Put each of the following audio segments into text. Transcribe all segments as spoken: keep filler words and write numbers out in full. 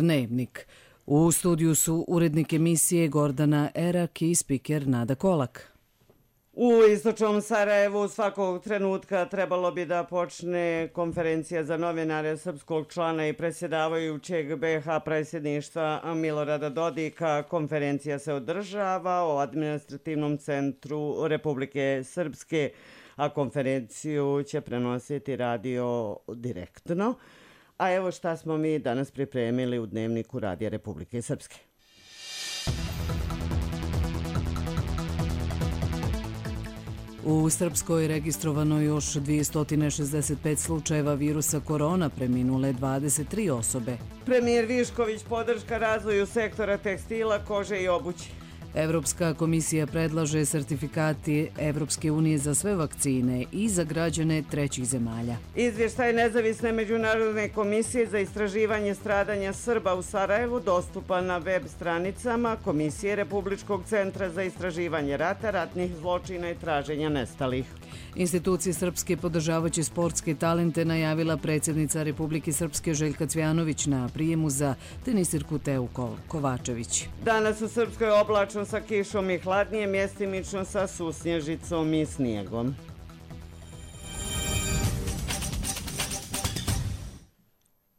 Dnevnik. U studiju su urednik emisije Gordana Erak i spiker Nada Kolak. U istočnom Sarajevu svakog trenutka trebalo bi da počne konferencija za novinare srpskog člana i predsjedavajućeg be ha predsjedništva Milorada Dodika. Konferencija se održava u administrativnom centru Republike Srpske, a konferenciju će prenositi radio direktno. A evo šta smo mi danas pripremili u Dnevniku Radija Republike Srpske. U Srpskoj registrovano još dvjesto šezdeset pet slučajeva virusa korona, preminule dvadeset tri osobe. Premijer Višković podrška razvoju sektora tekstila, kože i obuće. Evropska komisija predlaže sertifikati Evropske unije za sve vakcine i za građane trećih zemalja. Izvještaj Nezavisne međunarodne komisije za istraživanje stradanja Srba u Sarajevu dostupan na web stranicama Komisije Republičkog centra za istraživanje rata, ratnih zločina i traženja nestalih. Institucije Srpske podržavaće sportske talente, najavila predsjednica Republike Srpske Željka Cvjanović na prijemu za tenisirku Teu Kovačević. Danas u Srpskoj oblačno sa kišom i hladnije, mjestimično sa susnježicom i snijegom.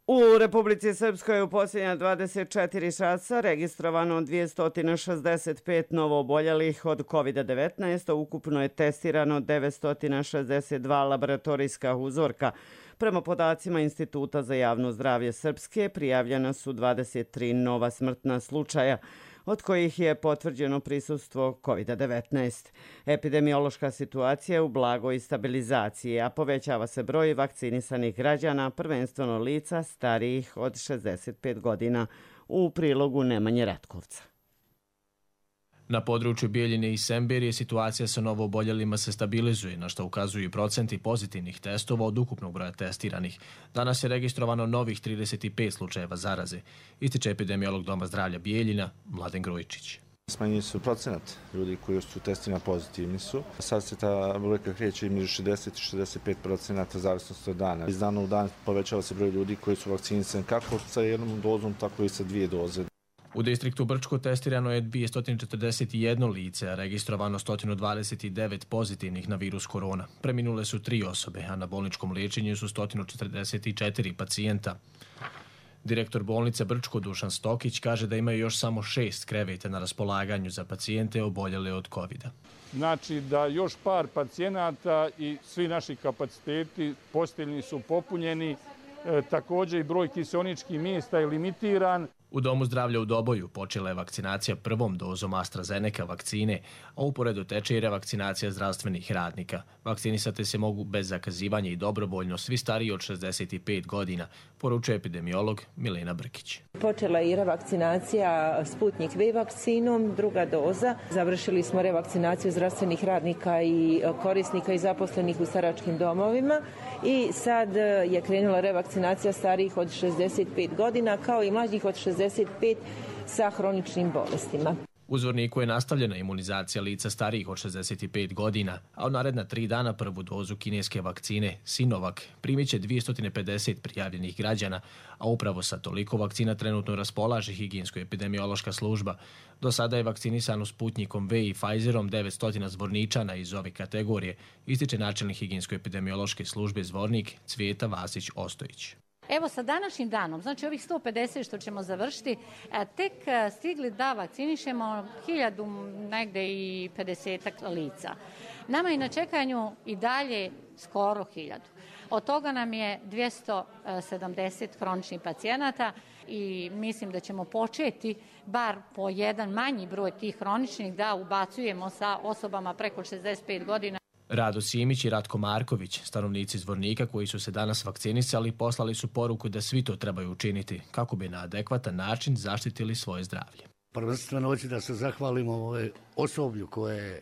U Republici Srpskoj u posljednja dvadeset četiri časa registrovano dvjesto šezdeset pet novooboljelih od kovid devetnaest, a ukupno je testirano devetsto šezdeset dva laboratorijska uzorka. Prema podacima Instituta za javno zdravlje Srpske prijavljena su dvadeset tri nova smrtna slučaja, od kojih je potvrđeno prisustvo kovid devetnaest. Epidemiološka situacija je u blagoj stabilizaciji, a povećava se broj vakcinisanih građana, prvenstveno lica starijih od šezdeset pet godina. U prilogu Nemanje Ratkovca. Na području Bijeljine i Semberije situacija sa novooboljelima se stabilizuje, na što ukazuju i procenti pozitivnih testova od ukupnog broja testiranih. Danas je registrovano novih trideset pet slučajeva zaraze, ističe epidemiolog Doma zdravlja Bijeljina Mladen Grujičić. Smanjeni su procenat ljudi koji su testirani pozitivni su. Sad se ta brojka kreće između šezdeset i šezdeset pet procenata zavisnosti od dana. Iz dana u dan povećava se broj ljudi koji su vakcinisani kako sa jednom dozom, tako i sa dvije doze. U distriktu Brčko testirano je dvjesto četrdeset jedno lice, a registrovano sto dvadeset devet pozitivnih na virus korona. Preminule su tri osobe, a na bolničkom liječenju su sto četrdeset četiri pacijenta. Direktor bolnice Brčko Dušan Stokić kaže da imaju još samo šest kreveta na raspolaganju za pacijente oboljele od kovida. Znači da još par pacijenata i svi naši kapaciteti posteljni su popunjeni, e, također i broj kiseoničkih mjesta je limitiran. U Domu zdravlja u Doboju počela je vakcinacija prvom dozom AstraZeneca vakcine, a uporedo teče i revakcinacija zdravstvenih radnika. Vakcinisati se mogu bez zakazivanja i dobrovoljno svi stariji od šezdeset pet godina, poručuje epidemiolog Milena Brkić. Počela je i revakcinacija Sputnik V vakcinom, druga doza. Završili smo revakcinaciju zdravstvenih radnika i korisnika i zaposlenih u staračkim domovima i sad je krenula revakcinacija starijih od šezdeset pet godina kao i mlađih od šezdeset pet sa hroničnim bolestima. U Zvorniku je nastavljena imunizacija lica starijih od šezdeset pet godina, a u naredna tri dana prvu dozu kineske vakcine Sinovac primit će dvjesto pedeset prijavljenih građana, a upravo sa toliko vakcina trenutno raspolaže higijensko-epidemiološka služba. Do sada je vakcinisano Sputnikom V i Pfizerom devetsto Zvorničana iz ove kategorije, ističe načelnik higijensko-epidemiološke službe Zvornik Cvijeta Vasić Ostojić. Evo sa današnjim danom, znači ovih sto pedeset što ćemo završiti, tek stigli da vakcinišemo hiljadu negde i pedesetak lica. Nama je na čekanju i dalje skoro hiljadu. Od toga nam je dvjesto sedamdeset hroničnih pacijenata i mislim da ćemo početi bar po jedan manji broj tih hroničnih da ubacujemo sa osobama preko šezdeset pet godina. Rado Simić i Ratko Marković, stanovnici Zvornika koji su se danas vakcinisali, poslali su poruku da svi to trebaju učiniti kako bi na adekvatan način zaštitili svoje zdravlje. Prvenstveno hoću da se zahvalimo ovoj osoblju koje je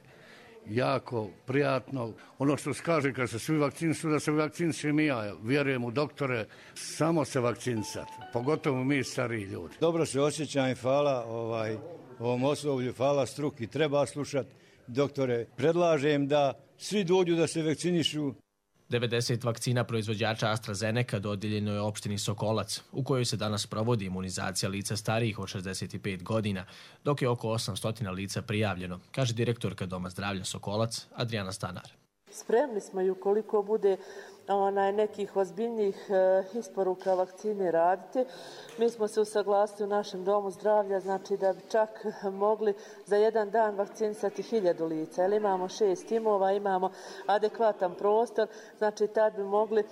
jako prijatno. Ono što se kaže kad se svi vakcinišu, da se vakcinišem i ja. Vjerujem u doktore, samo se vakcinisati, pogotovo mi stariji ljudi. Dobro se osjećam i hvala ovaj, ovom osoblju, hvala struki, treba slušati doktore. Predlažem da svi dođu da se vakcinišu. devedeset vakcina proizvođača AstraZeneca dodijeljeno je opštini Sokolac, u kojoj se danas provodi imunizacija lica starijih od šezdeset pet godina, dok je oko osamsto lica prijavljeno, kaže direktorka Doma zdravlja Sokolac Adriana Stanar. Spremni smo i ukoliko bude onaj, nekih ozbiljnijih e, isporuka vakcine raditi. Mi smo se usaglasili u našem domu zdravlja, znači da bi čak mogli za jedan dan vakcinisati hiljadu lica. Jer imamo šest timova, imamo adekvatan prostor, znači tad bi mogli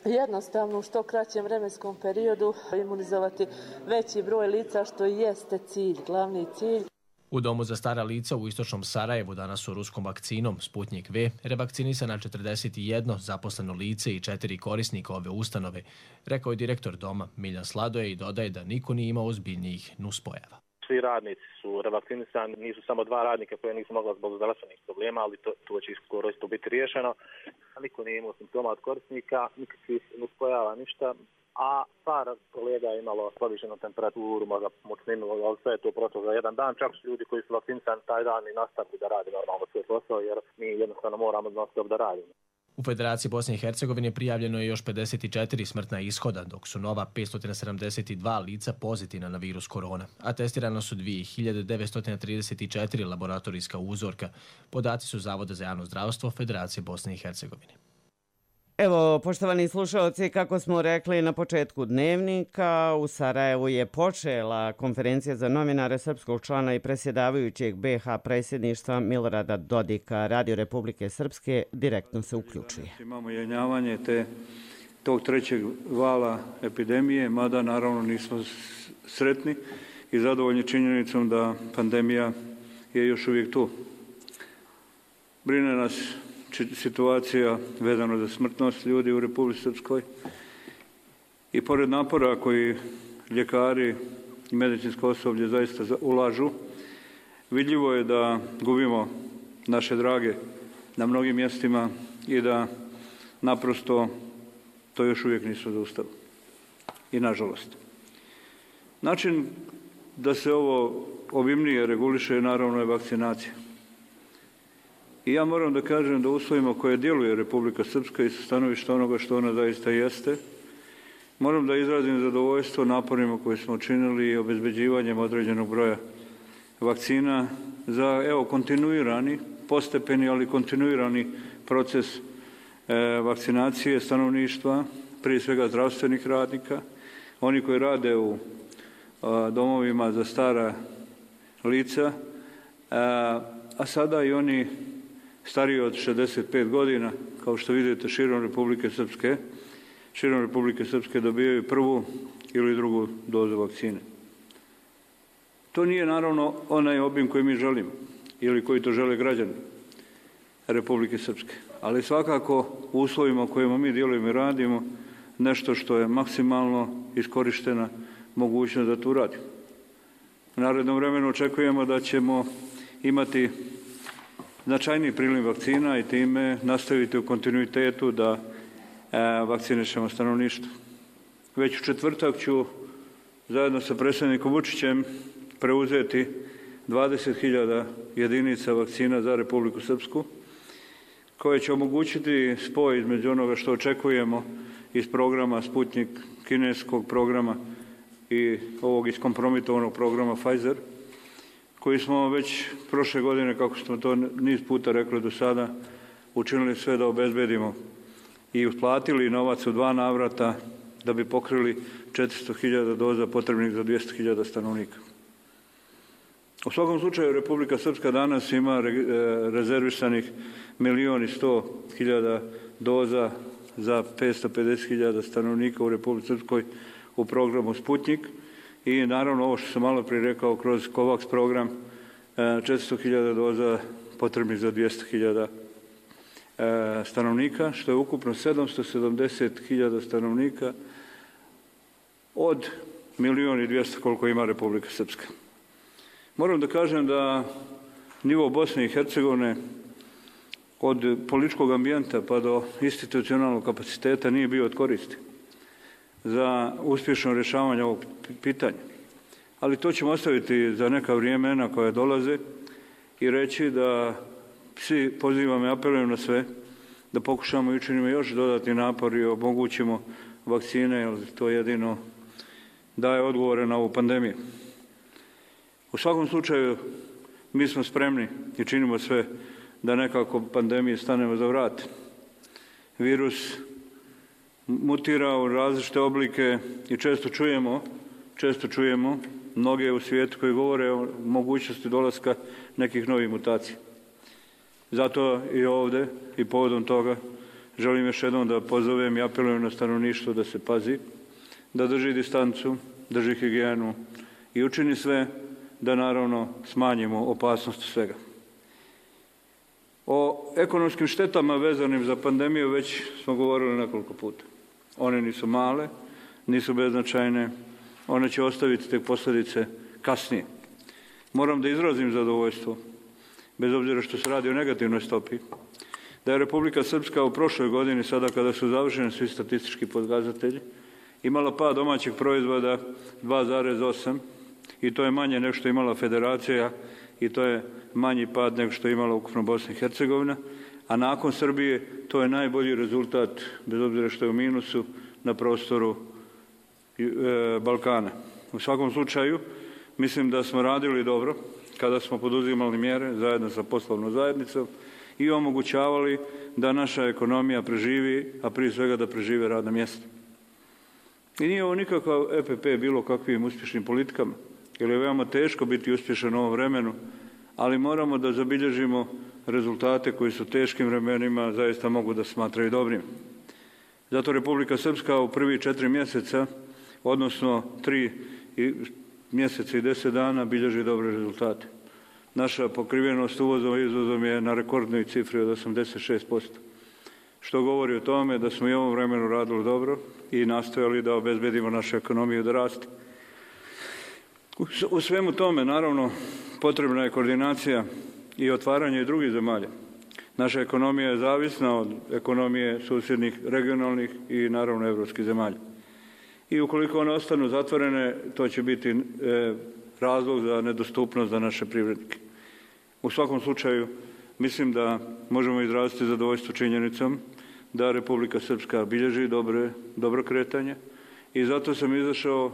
jednostavno u što kraćem vremenskom periodu imunizovati veći broj lica, što i jeste cilj, glavni cilj. U domu za stara lica u istočnom Sarajevu danas su ruskom vakcinom Sputnik V revakcinisana četrdeset jedno zaposleno lice i četiri korisnika ove ustanove, rekao je direktor doma Miljan Sladoje i dodaje da niko nije imao ozbiljnijih nuspojava. Svi radnici su revakcinisani, nisu samo dva radnika koje nisu mogla zbog zdravstvenih problema, ali to, to će skoro isto biti riješeno. Niko nije imao simptoma od korisnika, nikakvih nuspojava, ništa. A par kolega je imalo povišenu temperaturu, možda mučninu, ali sve je to prošlo za jedan dan. Čak su ljudi koji su vakcinisani taj dan i nastavili da radi normalno svoj posao, jer mi jednostavno moramo non-stop da radimo. U Federaciji Bosne i Hercegovine prijavljeno je još pedeset četiri smrtna ishoda, dok su nova petsto sedamdeset dva lica pozitivna na virus korona, a testirano su dvije hiljade devetsto trideset četiri laboratorijska uzorka. Podaci su Zavoda za javno zdravstvo Federacije Bosne i Hercegovine. Evo, poštovani slušalci, kako smo rekli na početku dnevnika, u Sarajevu je počela konferencija za novinare srpskog člana i presjedavajućeg be ha predsjedništva Milorada Dodika. Radio Republike Srpske direktno se uključuje. Imamo jenjavanje te, tog trećeg vala epidemije, mada naravno nismo sretni i zadovoljni činjenicom da pandemija je još uvijek tu. Brine nas situacija vezana za smrtnost ljudi u Republici Srpskoj i pored napora koji ljekari i medicinsko osoblje zaista ulažu, vidljivo je da gubimo naše drage na mnogim mjestima i da naprosto to još uvijek nisu zaustavili. I nažalost. Način da se ovo obimnije reguliše naravno je vakcinacija. I ja moram da kažem da uslovima koje djeluje Republika Srpska i sa stanovišta onoga što ona zaista jeste, moram da izrazim zadovoljstvo naporima koje smo učinili i obezbeđivanjem određenog broja vakcina za evo kontinuirani, postepeni, ali kontinuirani proces e, vakcinacije stanovništva, prije svega zdravstvenih radnika, oni koji rade u a, domovima za stara lica, a, a sada i oni stariji od šezdeset pet godina, kao što vidite širom Republike Srpske, širom Republike Srpske dobijaju prvu ili drugu dozu vakcine. To nije naravno onaj obim koji mi želimo ili koji to žele građani Republike Srpske, ali svakako u uslovima u kojima mi djelujemo i radimo nešto što je maksimalno iskorištena mogućnost da to uradimo. U narednom vremenu očekujemo da ćemo imati značajniji priliv vakcina i time nastaviti u kontinuitetu da e, vakcinišemo stanovništvo. Već u četvrtak ću zajedno sa predsjednikom Vučićem preuzeti dvadeset hiljada jedinica vakcina za Republiku Srpsku, koje će omogućiti spoj između onoga što očekujemo iz programa Sputnik, kineskog programa i ovog iskompromitovanog programa Pfizer, koji smo već prošle godine, kako smo to niz puta rekli do sada, učinili sve da obezbedimo i usplatili novac u dva navrata da bi pokrili četiristo hiljada doza potrebnih za dvjesto hiljada stanovnika. U svakom slučaju Republika Srpska danas ima rezervisanih milijon i sto hiljada doza za petsto pedeset hiljada stanovnika u Republici Srpskoj u programu Sputnik i naravno ovo što sam malo prije rekao kroz COVAX program četiristo hiljada doza potrebnih za dvjesto hiljada stanovnika, što je ukupno sedamsto sedamdeset hiljada stanovnika od milijon i dvjesto koliko ima Republika Srpska. Moram da kažem da nivo Bosne i Hercegovine od političkog ambijenta pa do institucionalnog kapaciteta nije bio od koristi za uspješno rješavanje ovog pitanja. Ali to ćemo ostaviti za neka vremena koja dolaze i reći da svi pozivam i apelujem na sve da pokušamo i učinimo još dodatni napor i omogućimo vakcine, jer to jedino daje odgovore na ovu pandemiju. U svakom slučaju, mi smo spremni i činimo sve da nekako pandemiji stanemo za vrat. Virus mutira u različite oblike i često čujemo, često čujemo mnoge u svijetu koji govore o mogućnosti dolaska nekih novih mutacija. Zato i ovdje i povodom toga želim još jednom da pozovem i apelujem na stanovništvo da se pazi, da drži distancu, drži higijenu i učini sve da naravno smanjimo opasnost svega. O ekonomskim štetama vezanim za pandemiju već smo govorili nekoliko puta. One nisu male, nisu beznačajne, one će ostaviti tek posljedice kasnije. Moram da izrazim zadovoljstvo, bez obzira što se radi o negativnoj stopi, da je Republika Srpska u prošloj godini, sada kada su završeni svi statistički pokazatelji, imala pad domaćeg proizvoda dva zarez osam i to je manje nego što je imala Federacija i to je manji pad nego što je imala ukupno Bosna i Hercegovina, a nakon Srbije to je najbolji rezultat, bez obzira što je u minusu, na prostoru e, Balkana. U svakom slučaju, mislim da smo radili dobro kada smo poduzimali mjere zajedno sa poslovnom zajednicom i omogućavali da naša ekonomija preživi, a prije svega da prežive radna mjesta. I nije ovo nikakav E P P bilo kakvim uspješnim politikama, jer je veoma teško biti uspješan u ovom vremenu, ali moramo da zabilježimo rezultate koji su teškim vremenima zaista mogu da smatraju dobrim. Zato Republika Srpska u prvi četiri mjeseca, odnosno tri mjeseca i deset dana, bilježi dobre rezultate. Naša pokrivenost uvozom i izvozom je na rekordnoj cifri od osamdeset šest posto, što govori o tome da smo i u ovom vremenu radili dobro i nastojali da obezbedimo našu ekonomiju da raste. U svemu tome, naravno, potrebna je koordinacija i otvaranje i drugih zemalja. Naša ekonomija je zavisna od ekonomije susjednih, regionalnih i naravno evropskih zemalja. I ukoliko one ostanu zatvorene, to će biti e, razlog za nedostupnost za naše privrednike. U svakom slučaju, mislim da možemo izraziti zadovoljstvo činjenicom da Republika Srpska bilježi dobre, dobro kretanje i zato sam izašao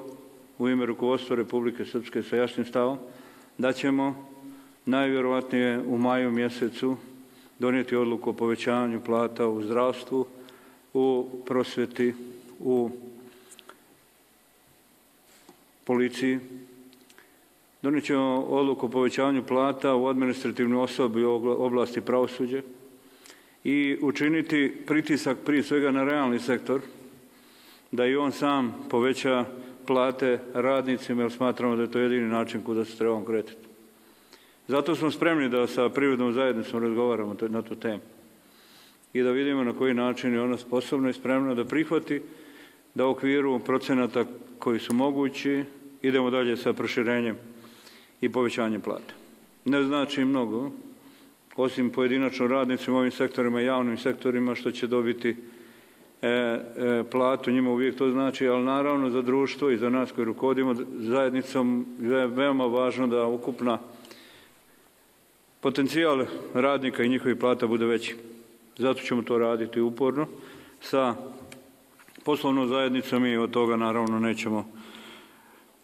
u ime rukovodstva Republike Srpske sa jasnim stavom da ćemo najvjerovatnije u maju mjesecu donijeti odluku o povećanju plata u zdravstvu, u prosvjeti, u policiji. Donijet ćemo odluku o povećanju plata u administrativnoj osobi u oblasti pravosuđa i učiniti pritisak prije svega na realni sektor da i on sam poveća plate radnicima, jer smatramo da je to jedini način kuda se trebamo kretati. Zato smo spremni da sa privrednom zajednicom razgovaramo na tu temu i da vidimo na koji način je ona sposobna i spremna da prihvati da u okviru procenata koji su mogući idemo dalje sa proširenjem i povećanjem plata. Ne znači mnogo, osim pojedinačno radnicima u ovim sektorima, javnim sektorima, što će dobiti e, e, platu, njima uvijek to znači, ali naravno za društvo i za nas koji rukovodimo zajednicom je veoma važno da ukupna potencijal radnika i njihovih plata bude veći. Zato ćemo to raditi uporno sa poslovnom zajednicom i od toga naravno nećemo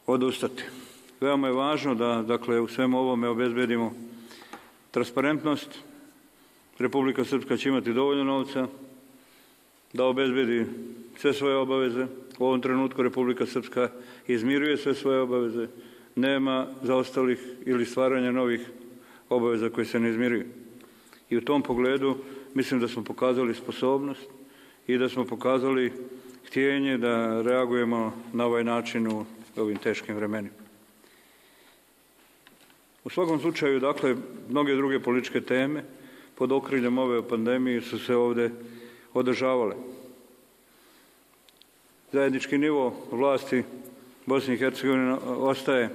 odustati. Veoma je važno da, dakle, u svemu ovome obezbedimo transparentnost. Republika Srpska će imati dovoljno novca da obezbedi sve svoje obaveze. U ovom trenutku Republika Srpska izmiruje sve svoje obaveze. Nema zaostalih ili stvaranja novih obaveza koje se ne izmiruju. I u tom pogledu mislim da smo pokazali sposobnost i da smo pokazali htjenje da reagujemo na ovaj način u ovim teškim vremenima. U svakom slučaju, dakle, mnoge druge političke teme pod okriljem ove pandemije su se ovdje održavale. Zajednički nivo vlasti Bosne i Hercegovine ostaje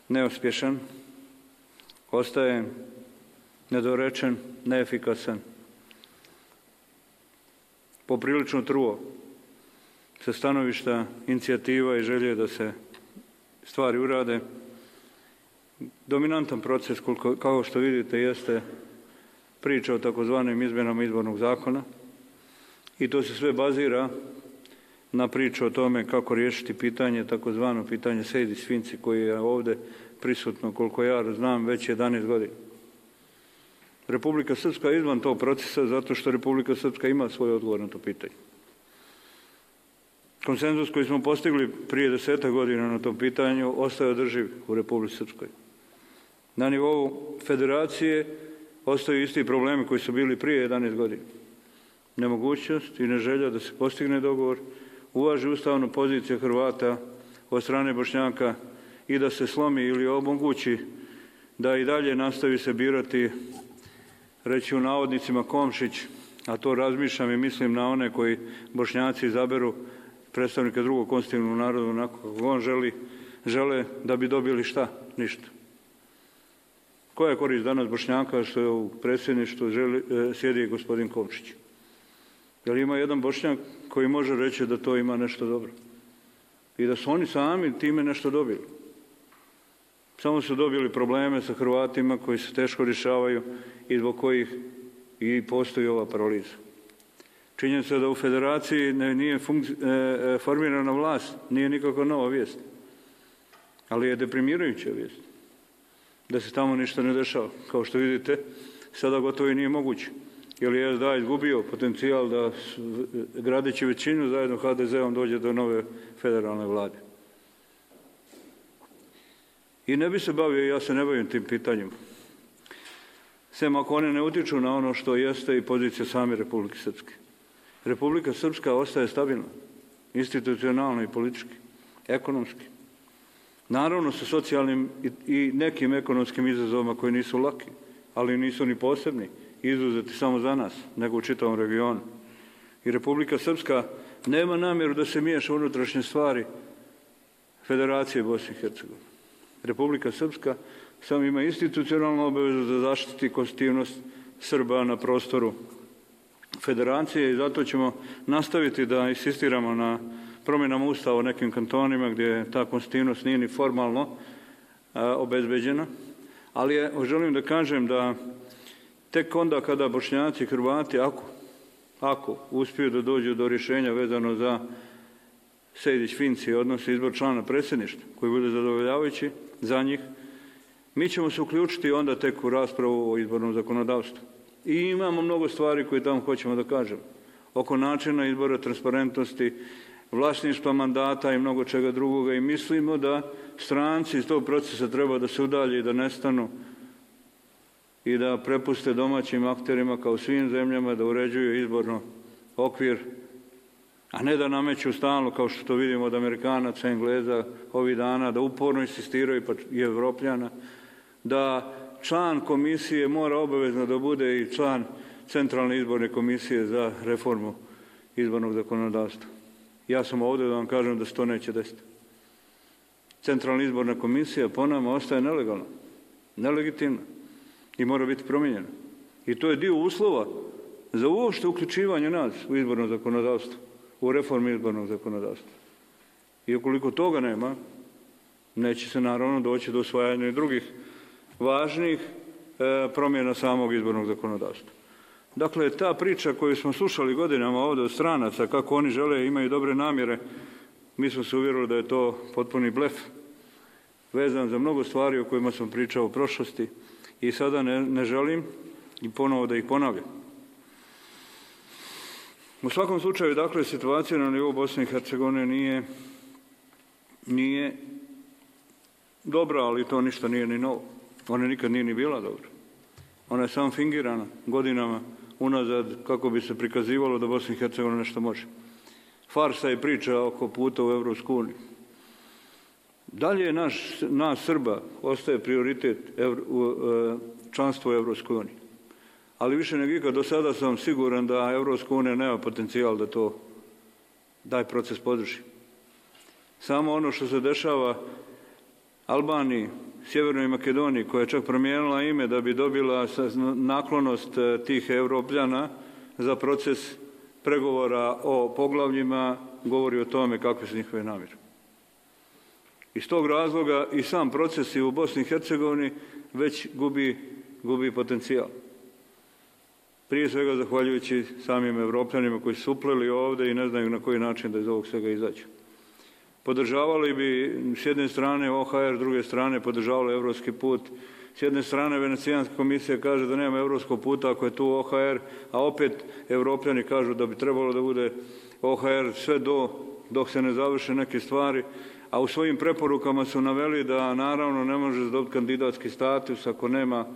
neuspješan, ostaje nedorečen, neefikasan, poprilično truo sa stanovišta inicijativa i želje da se stvari urade. Dominantan proces, kao što vidite, jeste priča o takozvanim izmjenama izbornog zakona i to se sve bazira na priču o tome kako riješiti pitanje, takozvano pitanje Sejdić-Finci koji je ovdje prisutno, koliko ja znam, već jedanaest godina. Republika Srpska je izvan tog procesa zato što Republika Srpska ima svoj odgovor na to pitanje. Konsenzus koji smo postigli prije deseta godina na tom pitanju ostaje održiv u Republici Srpskoj. Na nivou federacije ostaju isti problemi koji su bili prije jedanaest godina. Nemogućnost i neželja da se postigne dogovor, uvaži ustavnu poziciju Hrvata od strane Bošnjaka i da se slomi ili omogući da i dalje nastavi se birati, reći u navodnicima, Komšić, a to razmišljam i mislim na one koji Bošnjaci izaberu predstavnika drugog konstitutivnog naroda onako kako on želi, žele da bi dobili šta? Ništa. Koja je korist danas Bošnjaka što je u predsjedništvu želi, sjedi gospodin Komšić? Jer ima jedan Bošnjak koji može reći da to ima nešto dobro. I da su oni sami time nešto dobili. Samo su dobili probleme sa Hrvatima koji se teško rješavaju i zbog kojih i postoji ova paraliza. Činjenica da u federaciji nije e, formirana vlast, nije nikako nova vijest. Ali je deprimirajuća vijest. Da se tamo ništa ne dešava. Kao što vidite, sada gotovo i nije moguće. Jer je S D A izgubio potencijal da gradeći većinu zajedno H D Z-om dođe do nove federalne vlade. I ne bi se bavio, ja se ne bavim tim pitanjima. Sem ako one ne utiču na ono što jeste i pozicija same Republike Srpske. Republika Srpska ostaje stabilna, institucionalno i politički, ekonomski. Naravno sa socijalnim i nekim ekonomskim izazovima koji nisu laki, ali nisu ni posebni, izuzeti samo za nas, nego u čitavom regionu. I Republika Srpska nema namjeru da se miješa u unutrašnje stvari Federacije Bosne i Hercegovine. Republika Srpska samo ima institucionalnu obavezu da zaštiti konstitutivnost Srba na prostoru Federacije i zato ćemo nastaviti da insistiramo na promjenama Ustava u nekim kantonima gdje ta konstitutivnost nije ni formalno a, obezbeđena. Ali je, želim da kažem da tek onda kada Bošnjaci i Hrvati, ako, ako uspiju da dođu do rješenja vezano za Sejdić-Finci, odnosno izbor člana predsjedništva, koji bude zadovoljavajući za njih, mi ćemo se uključiti onda tek u raspravu o izbornom zakonodavstvu. I imamo mnogo stvari koje tamo hoćemo da kažemo. Oko načina izbora, transparentnosti, vlasništva mandata i mnogo čega drugoga. I mislimo da stranci iz tog procesa treba da se udalje i da nestanu i da prepuste domaćim akterima kao svim zemljama da uređuju izborno okvir, a ne da nameću stalno, kao što to vidimo od Amerikanaca, Engleza ovih dana, da uporno insistiraju, pa i Evropljana, da član komisije mora obavezno da bude i član Centralne izborne komisije za reformu izbornog zakonodavstva. Ja sam ovdje da vam kažem da se to neće desiti. Centralna izborna komisija po nama ostaje nelegalna, nelegitimna i mora biti promijenjena. I to je dio uslova za uopšte uključivanje nas u izborno zakonodavstvo, u reformu izbornog zakonodavstva. I ukoliko toga nema, neće se naravno doći do usvajanja i drugih važnih e, promjena samog izbornog zakonodavstva. Dakle, ta priča koju smo slušali godinama ovdje od stranaca, kako oni žele, imaju dobre namjere, mi smo se uvjerili da je to potpuni blef, vezan za mnogo stvari o kojima sam pričao u prošlosti i sada ne, ne želim i ponovo da ih ponavljam. U svakom slučaju, dakle, situacija na nivou Bosne i Hercegovine nije, nije dobra, ali to ništa nije ni novo. Ona nikad nije ni bila dobra. Ona je samo fingirana godinama unazad kako bi se prikazivalo da Bosna i Hercegovina nešto može. Farsa i priča oko puta u Evropsku uniju. Dalje naš, nas Srba ostaje prioritet evro, u, članstvo u Evropskoj uniji. Ali više nego ikad do sada sam siguran da Evropska unija nema potencijal da to daj proces podrži. Samo ono što se dešava Albaniji, Sjevernoj Makedoniji, koja je čak promijenila ime da bi dobila naklonost tih Evropljana za proces pregovora o poglavljima, govori o tome kakve su njihove namjere. Iz tog razloga i sam proces u Bosni i Hercegovini već gubi, gubi potencijal. prije svega zahvaljujući samim Evropljanima koji su upleli ovdje i ne znaju na koji način da iz ovog svega izađu. Podržavali bi s jedne strane O H R, s druge strane podržavali evropski put. S jedne strane Venecijanska komisija kaže da nema evropskog puta ako je tu O H R, a opet Evropljani kažu da bi trebalo da bude O H R sve do, dok se ne završe neke stvari, a u svojim preporukama su naveli da naravno ne može dobiti kandidatski status ako nema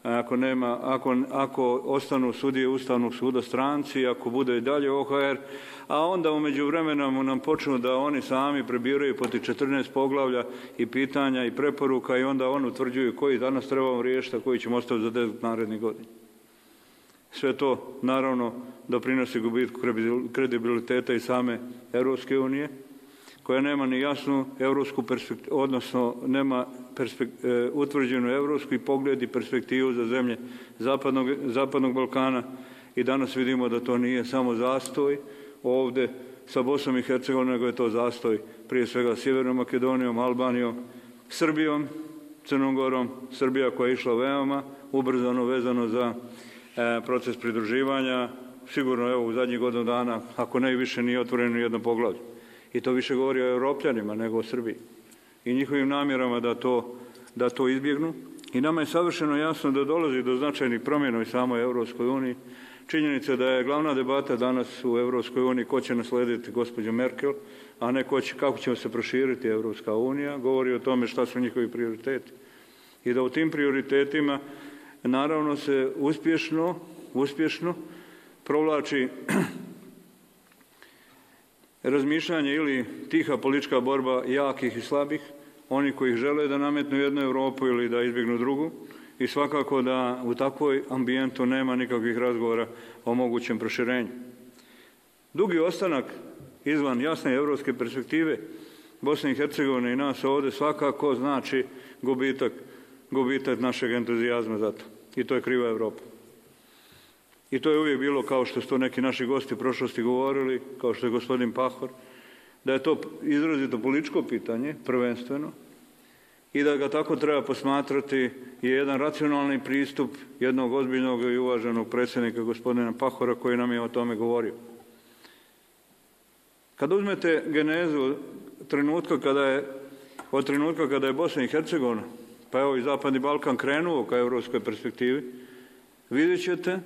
Ako, nema, ako, ako ostanu sudije Ustavnog suda stranci, ako bude i dalje O H R, a onda u međuvremenu nam počnu da oni sami prebiraju po tih četrnaest poglavlja i pitanja i preporuka i onda oni utvrđuju koji danas trebamo riješiti, a koji ćemo ostaviti za deset narednih godina. Sve to naravno doprinosi gubitku kredibiliteta i same Europske unije, koja nema ni jasnu evropsku perspektivu, odnosno nema perspekt, e, utvrđenu evropsku pogled i perspektivu za zemlje Zapadnog, Zapadnog Balkana i danas vidimo da to nije samo zastoj ovdje sa Bosnom i Hercegovinom, nego je to zastoj prije svega Sjevernom Makedonijom, Albanijom, Srbijom, Crnom Gorom, Srbija koja je išla veoma ubrzano vezano za e, proces pridruživanja, sigurno evo u zadnjih godinu dana, ako ne više nije otvoreno jedno poglavlje. I to više govori o Evropljanima nego o Srbiji i njihovim namjerama da to, da to izbjegnu. I nama je savršeno jasno da dolazi do značajnih promjena u samoj Europskoj uniji. Činjenica da je glavna debata danas u Europskoj uniji ko će naslediti gospođu Merkel, a ne ko će, kako će se proširiti Europska unija, govori o tome šta su njihovi prioriteti. I da u tim prioritetima naravno se uspješno, uspješno provlači razmišljanje ili tiha politička borba jakih i slabih, oni koji žele da nametnu jednu Europu ili da izbjegnu drugu i svakako da u takvoj ambijentu nema nikakvih razgovora o mogućem proširenju. Dugi ostanak izvan jasne evropske perspektive Bosne i Hercegovine i nas ovdje svakako znači gubitak, gubitak našeg entuzijazma za to. I to je kriva Evropa. I to je uvijek bilo, kao što su to neki naši gosti u prošlosti govorili, kao što je gospodin Pahor, da je to izrazito političko pitanje, prvenstveno, i da ga tako treba posmatrati je jedan racionalni pristup jednog ozbiljnog i uvaženog predsjednika gospodina Pahora koji nam je o tome govorio. Kad uzmete genezu trenutka kada je, od trenutka kada je Bosna i Hercegovina, pa evo i Zapadni Balkan krenuo ka evropskoj perspektivi, vidjet ćete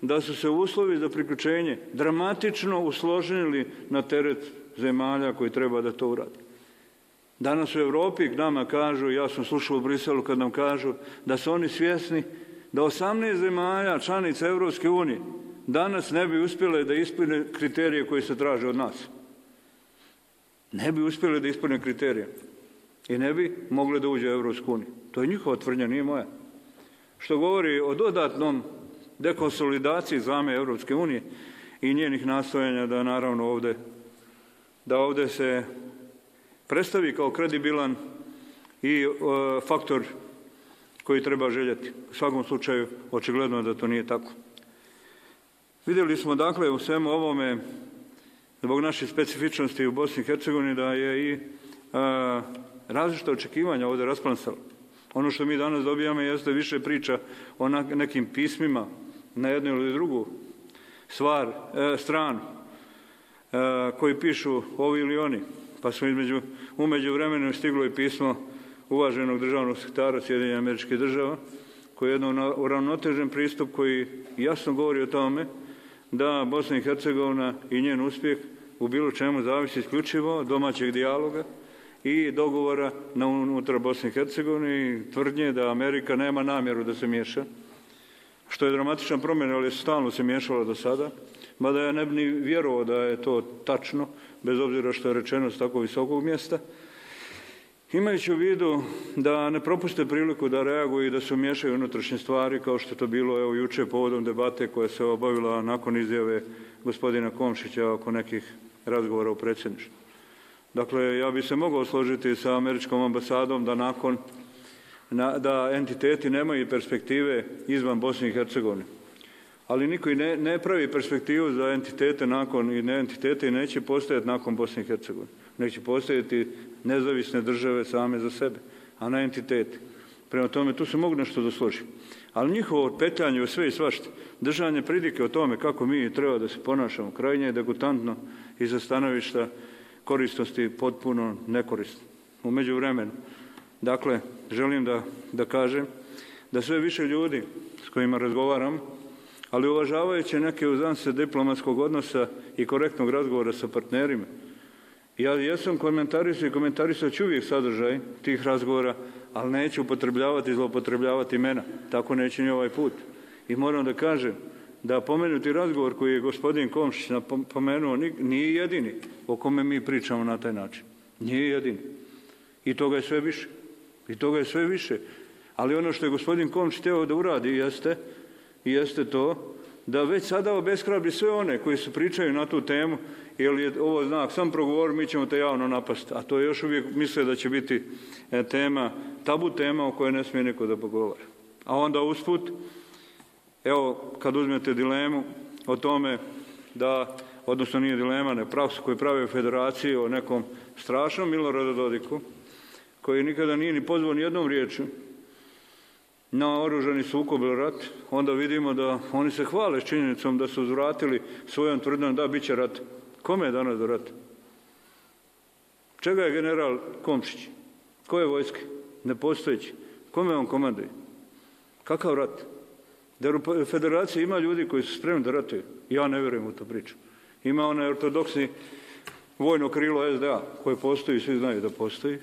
da su se uslovi za priključenje dramatično usložnili na teret zemalja koji treba da to uradi. Danas u Evropi k nama kažu, ja sam slušao u Briselu kad nam kažu da su oni svjesni da osamnaest zemalja članica Evropske unije danas ne bi uspjele da ispune kriterije koji se traže od nas. Ne bi uspjele da ispune kriterije i ne bi mogle da uđe u Evropsku uniju. To je njihova tvrdnja, nije moja. Što govori o dodatnom dekonsolidaciji zame Evropske unije i njenih nastojanja da naravno ovdje, da ovdje se predstavi kao kredibilan i e, faktor koji treba željeti. U svakom slučaju, očigledno da to nije tako. Vidjeli smo dakle u svemu ovome, zbog naših specifičnosti u Bosni i Hercegovini, da je i a, različita očekivanja ovdje rasplansala. Ono što mi danas dobijamo jeste više priča o nekim pismima na jednu ili drugu stvar, e, stranu e, koji pišu ovi ili oni. Pa smo između, umeđu vremenu stiglo i pismo uvaženog državnog sekretara Sjedinjenih Američkih Država, koji je jedan uravnotežen pristup koji jasno govori o tome da Bosna i Hercegovina i njen uspjeh u bilo čemu zavisi isključivo od domaćeg dijaloga i dogovora na unutar Bosne i Hercegovine i tvrdnje da Amerika nema namjeru da se miješa, što je dramatična promjena, ali je stalno se miješalo do sada, mada ja ne bi ni vjerovao da je to tačno, bez obzira što je rečeno s tako visokog mjesta, imajući u vidu da ne propuste priliku da reaguju i da se umiješaju unutrašnje stvari, kao što je to bilo evo juče povodom debate koja se obavila nakon izjave gospodina Komšića oko nekih razgovora u predsjedništvu. Dakle, ja bi se mogao složiti sa američkom ambasadom da nakon da entiteti nemaju perspektive izvan Bosne i Hercegovine. Ali niko i ne, ne pravi perspektivu za entitete nakon i ne entitete i neće postojati nakon Bosne i Hercegovine. Neće postojati nezavisne države same za sebe, a ne entiteti. Prema tome, tu se mogu nešto da složim. Ali njihovo petljanje u sve i svašta, držanje pridike o tome kako mi treba da se ponašamo, krajnje je degutantno i za stanovišta korisnosti potpuno nekorisno. U međuvremenu, dakle, želim da, da kažem da sve više ljudi s kojima razgovaram, ali uvažavajući neke uzance diplomatskog odnosa i korektnog razgovora sa partnerima, ja jesam komentarisao i komentarisao ću uvijek sadržaj tih razgovora, ali neću upotrebljavati i zloupotrebljavati imena. Tako neće ni ovaj put. I moram da kažem da pomenuti razgovor koji je gospodin Komšić napomenuo nije jedini o kome mi pričamo na taj način. Nije jedini. I toga je sve više. I toga je sve više. Ali ono što je gospodin Komšić htio da uradi jeste, jeste to da već sada obeshrabri sve one koji se pričaju na tu temu, jer je ovo znak, sam progovor, mi ćemo te javno napasti. A to je još uvijek misle da će biti tema, tabu tema o kojoj ne smije niko da pogovara. A onda usput, evo, kad uzmete dilemu o tome da, odnosno nije dilema, ne praksu koju pravi federaciji o nekom strašnom Miloradu Dodiku, koji nikada nije ni pozvao ni jednom riječju na oružani sukob ili rat, onda vidimo da oni se hvale s činjenicom da su uzvratili svojom tvrdnjom da bit će rat. Kome je danas do rata? Čega je general Komšić? Koje vojske? Nepostojeći. Kome on komanduje? Kakav rat? Da u federaciji ima ljudi koji su spremni da ratuju. Ja ne vjerujem u to priču. Ima onaj ortodoksni vojno krilo es de a koje postoji, svi znaju da postoji.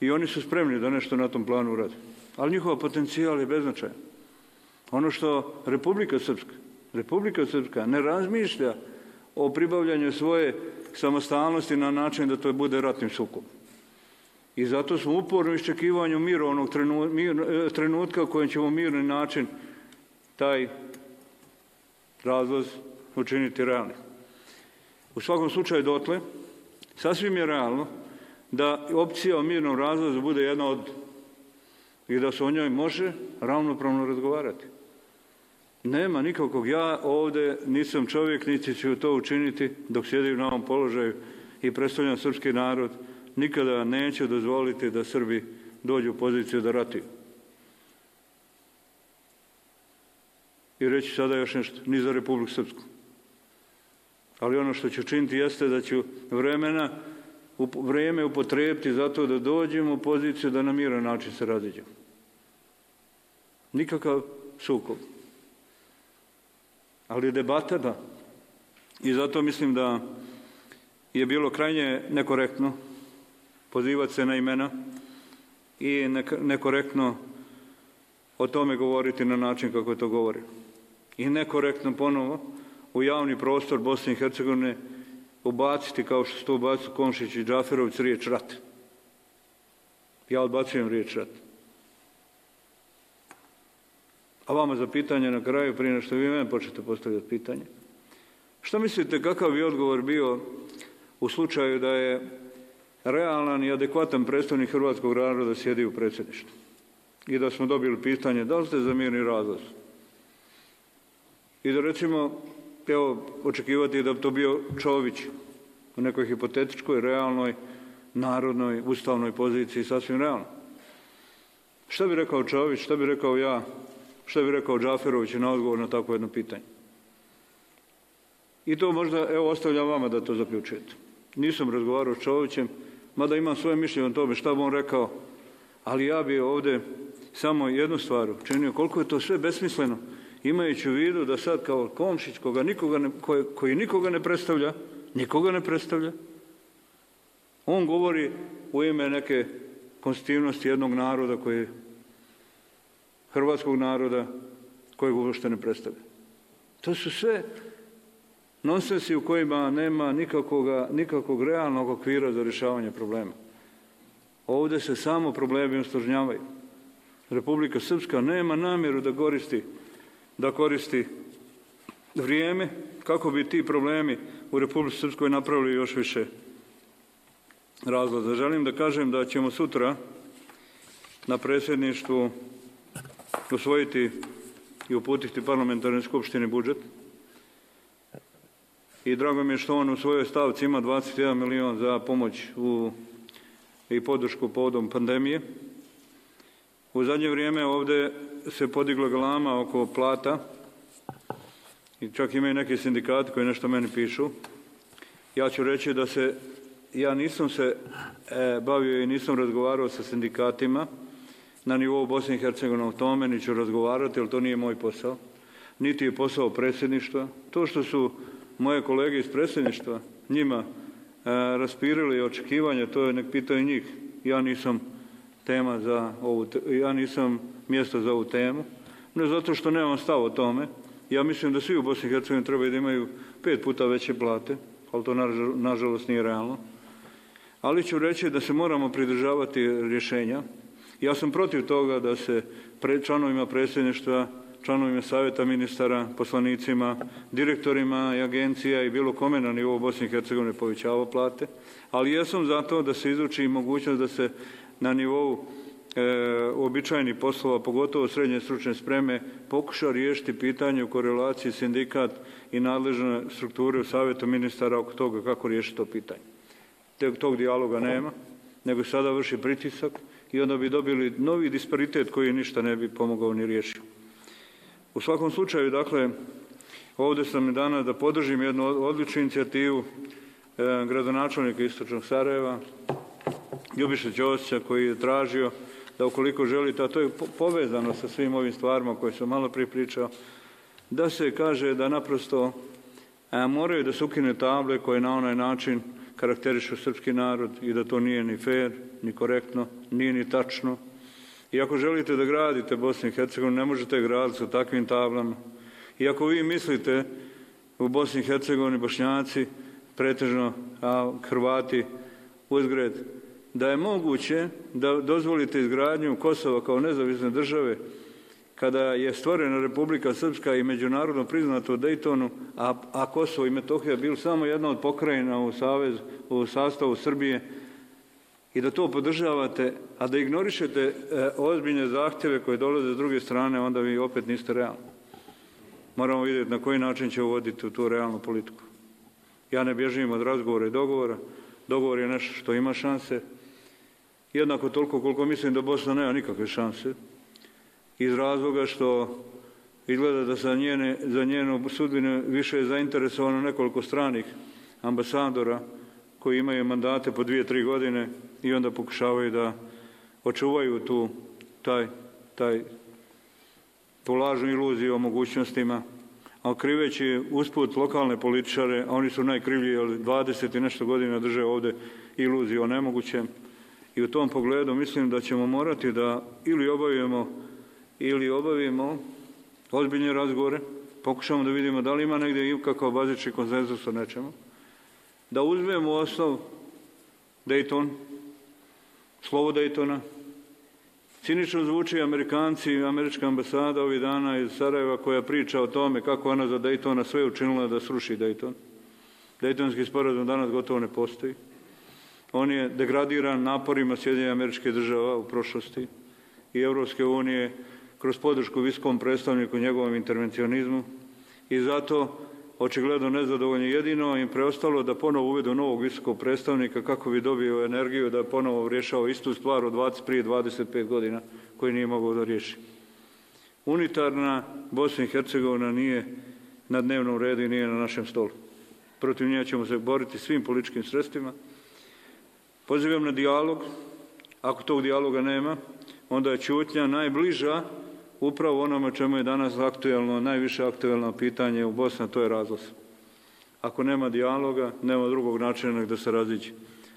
I oni su spremni da nešto na tom planu urade. Ali njihova potencijal je beznačajan. Ono što Republika Srpska, Republika Srpska ne razmišlja o pribavljanju svoje samostalnosti na način da to bude ratnim sukobom. I zato smo uporno iščekivanju mirovnog trenutka u kojem ćemo mirni način taj razlaz učiniti realnim. U svakom slučaju dotle, sasvim je realno da opcija o mirnom razlazu bude jedna od i da se o njoj može ravnopravno razgovarati. Nema nikakvog, ja ovdje nisam čovjek, niti ću to učiniti dok sjedim na ovom položaju i predstavljam srpski narod, nikada neću dozvoliti da Srbi dođu u poziciju da ratuju. I reći sada još nešto, ni za Republiku Srpsku. Ali ono što ću činiti jeste da ću vremena, vrijeme upotrijebiti zato da dođemo u poziciju da na miran način se raziđemo. Nikakav sukob. Ali debata da. I zato mislim da je bilo krajnje nekorektno pozivati se na imena i nekorektno o tome govoriti na način kako je to govori. I nekorektno ponovo u javni prostor Bosne i Hercegovine ubaciti, kao što su to ubacili Komšić i Džaferović, riječ rat. Ja odbacujem riječ rat. A vama za pitanje na kraju, prije nego što vi mene počnete postavljati pitanje. Što mislite kakav bi odgovor bio u slučaju da je realan i adekvatan predstavnik hrvatskog naroda sjedi u predsjedništvu? I da smo dobili pitanje da li ste za mirni razlaz? I da recimo, evo, očekivati da bi to bio Čović u nekoj hipotetičkoj, realnoj, narodnoj, ustavnoj poziciji, sasvim realno. Šta bi rekao Čović, šta bi rekao ja, šta bi rekao Džaferović na odgovor na takvo jedno pitanje? I to možda, evo, ostavljam vama da to zaključujete. Nisam razgovarao s Čovićem, mada imam svoje mišljenje o tome šta bi on rekao, ali ja bi ovdje samo jednu stvar učinio, koliko je to sve besmisleno, imajući u vidu da sad kao Komšić, koga nikoga ne, koji, koji nikoga ne predstavlja, nikoga ne predstavlja, on govori u ime neke konstitutivnosti jednog naroda koji hrvatskog naroda kojeg uopšte ne predstavlja. To su sve nonsensi u kojima nema nikakvoga, nikakvog realnog okvira za rješavanje problema. Ovdje se samo problemi usložnjavaju. Republika Srpska nema namjeru da koristi, da koristi vrijeme kako bi ti problemi u Republici Srpskoj napravili još više razloga. Želim da kažem da ćemo sutra na predsjedništvu usvojiti i uputiti parlamentarnoj skupštini budžet. I drago mi je što on u svojoj stavci ima dvadeset jedan milion za pomoć u, i podršku povodom pandemije. U zadnje vrijeme ovdje se podigla galama oko plata i čak imaju neki sindikati koji nešto meni pišu. Ja ću reći da se, ja nisam se e, bavio i nisam razgovarao sa sindikatima na nivou Bosne i Hercegovine o tome, ni ću razgovarati, jer to nije moj posao. Niti je posao predsjedništva. To što su moje kolege iz predsjedništva njima e, raspirili očekivanje, to je nek pitaju njih. Ja nisam tema za ovu, ja nisam mjesto za ovu temu, ne zato što nemam stav o tome. Ja mislim da svi u Bosni i Hercegovini trebaju da imaju pet puta veće plate, ali to nažalost nije realno. Ali ću reći da se moramo pridržavati rješenja. Ja sam protiv toga da se pre, članovima predsjedništva, članovima savjeta ministara, poslanicima, direktorima i agencija i bilo kome na nivou Bosne i Hercegovine povećava plate, ali ja sam za to da se izuči mogućnost da se na nivou e, uobičajenih poslova, pogotovo srednje stručne spreme, pokuša riješiti pitanje u korelaciji sindikat i nadležne strukture u savjetu ministara oko toga kako riješiti to pitanje. Tog dijaloga nema, nego sada vrši pritisak i onda bi dobili novi disparitet koji ništa ne bi pomogao ni riješio. U svakom slučaju, dakle, ovdje sam i danas da podržim jednu odličnu inicijativu e, gradonačelnika Istočnog Sarajeva, Ljubiše Ćosića, koji je tražio da ukoliko želite, a to je povezano sa svim ovim stvarima koje sam malo prije pričao, da se kaže da naprosto a, moraju da se ukine table koje na onaj način karakterišu srpski narod i da to nije ni fair, ni korektno, nije ni tačno. I ako želite da gradite Bosnu i Hercegovinu, ne možete graditi sa takvim tablama. I ako vi mislite u Bosni i Hercegovini, Bošnjaci, pretežno a Hrvati uzgred, da je moguće da dozvolite izgradnju Kosova kao nezavisne države kada je stvorena Republika Srpska i međunarodno priznato u Dejtonu, a, a Kosovo i Metohija bili samo jedna od pokrajina u, savez, u sastavu Srbije, i da to podržavate, a da ignorišete e, ozbiljne zahtjeve koje dolaze s druge strane, onda vi opet niste realni. Moramo vidjeti na koji način će uvoditi u tu realnu politiku. Ja ne bježim od razgovora i dogovora. Dogovor je nešto što ima šanse. Jednako toliko koliko mislim da Bosna nema nikakve šanse. Iz razloga što izgleda da za, njene, za njenu sudbinu više je zainteresovano nekoliko stranih ambasadora koji imaju mandate po dvije, tri godine i onda pokušavaju da očuvaju tu, taj, taj, tu lažnu iluziju o mogućnostima, a kriveći usput lokalne političare, a oni su najkrivlji, jer dvadeset i nešto godina drže ovdje iluziju o nemogućem. I u tom pogledu mislim da ćemo morati da ili obavimo ili obavimo ozbiljne razgovore, pokušamo da vidimo da li ima negdje i kakav bazični konsenzus o nečemu, da uzmemo osnov Dayton, slovo Daytona. Cinično zvuči Amerikanci i američka ambasada ovih dana iz Sarajeva koja priča o tome kako ona za Daytona sve učinila da sruši Dayton. Daytonski sporazum danas gotovo ne postoji. On je degradiran naporima Sjedinjenih Američkih Država u prošlosti i Europske unije kroz podršku visokom predstavniku njegovom intervencionizmu i zato očigledno nezadovoljni, jedino im preostalo da ponovo uvedu novog visokog predstavnika kako bi dobio energiju da ponovo rješava istu stvar od dvadeset, prije dvadeset pet godina koji nije mogao da riješi. Unitarna Bosna i Hercegovina nije na dnevnom redu i nije na našem stolu. Protiv nje ćemo se boriti svim političkim sredstvima. Pozivam na dijalog. Ako tog dijaloga nema, onda je ćutnja najbliža upravo onome čemu je danas aktuelno, najviše aktuelno pitanje u Bosni, a to je razlaz. Ako nema dijaloga, nema drugog načina nego da se raziđe.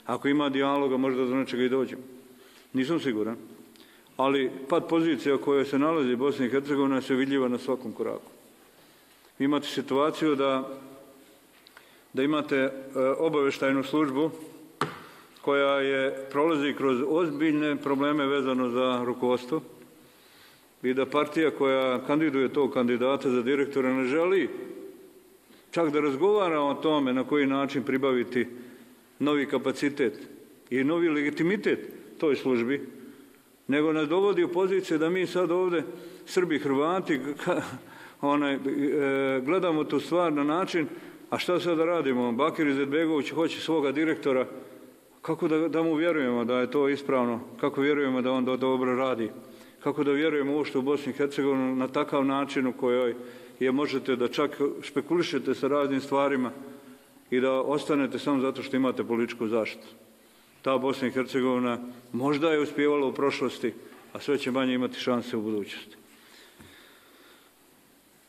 Ako ima dijaloga, možda do nečega i dođemo. Nisam siguran. Ali pad pozicija koja se nalazi u Bosni i Hercegovini se vidljiva na svakom koraku. Vi imate situaciju da, da imate e, obavještajnu službu koja je prolazi kroz ozbiljne probleme vezano za rukovodstvo i da partija koja kandiduje tog kandidata za direktora ne želi čak da razgovara o tome na koji način pribaviti novi kapacitet i novi legitimitet toj službi, nego nas dovodi u poziciju da mi sad ovdje, Srbi, Hrvati, onaj, e, gledamo tu stvar na način, a šta sad da radimo? Bakir Izetbegović hoće svoga direktora, kako da, da mu vjerujemo da je to ispravno, kako vjerujemo da on do, dobro radi, kako da vjerujemo uopšte u Bosni i Hercegovini na takav način u kojoj je možete da čak špekulišete sa raznim stvarima i da ostanete samo zato što imate političku zaštitu. Ta Bosna i Hercegovina možda je uspijevala u prošlosti, a sve će manje imati šanse u budućnosti.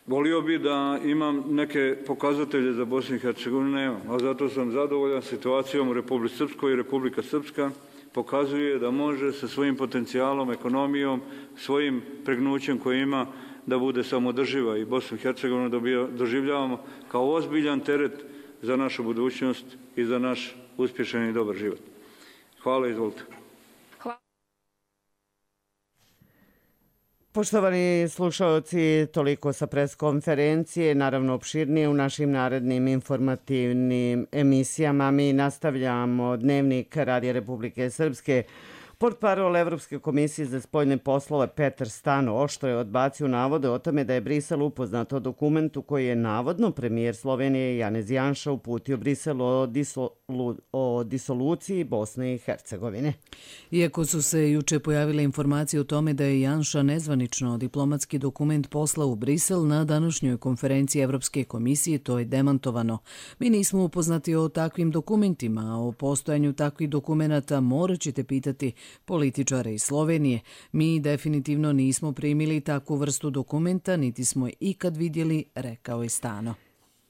Volio bi da imam neke pokazatelje za Bosnu i Hercegovinu, nemam, a zato sam zadovoljan situacijom u Republici Srpskoj i Republika Srpska pokazuje da može sa svojim potencijalom, ekonomijom, svojim pregnućem koje ima da bude samodrživa i Bosnu i Hercegovinu doživljavamo kao ozbiljan teret za našu budućnost i za naš uspješan i dobar život. Hvala, izvolite. Poštovani slušalci, toliko sa preskonferencije, naravno opširnije u našim narednim informativnim emisijama. Mi nastavljamo dnevnik Radija Republike Srpske. Portparol Evropske komisije za spoljne poslove Petar Stano oštro je odbacio navode o tome da je Brisel upoznat o dokumentu koji je navodno premijer Slovenije Janez Janša uputio Briselu o, disolu, o disoluciji Bosne i Hercegovine. Iako su se juče pojavile informacije o tome da je Janša nezvanično diplomatski dokument poslao u Brisel, na današnjoj konferenciji Evropske komisije to je demantovano. Mi nismo upoznati o takvim dokumentima, a o postojanju takvih dokumenata morat ćete pitati političare iz Slovenije. Mi definitivno nismo primili takvu vrstu dokumenta, niti smo je ikad vidjeli, rekao je Stano.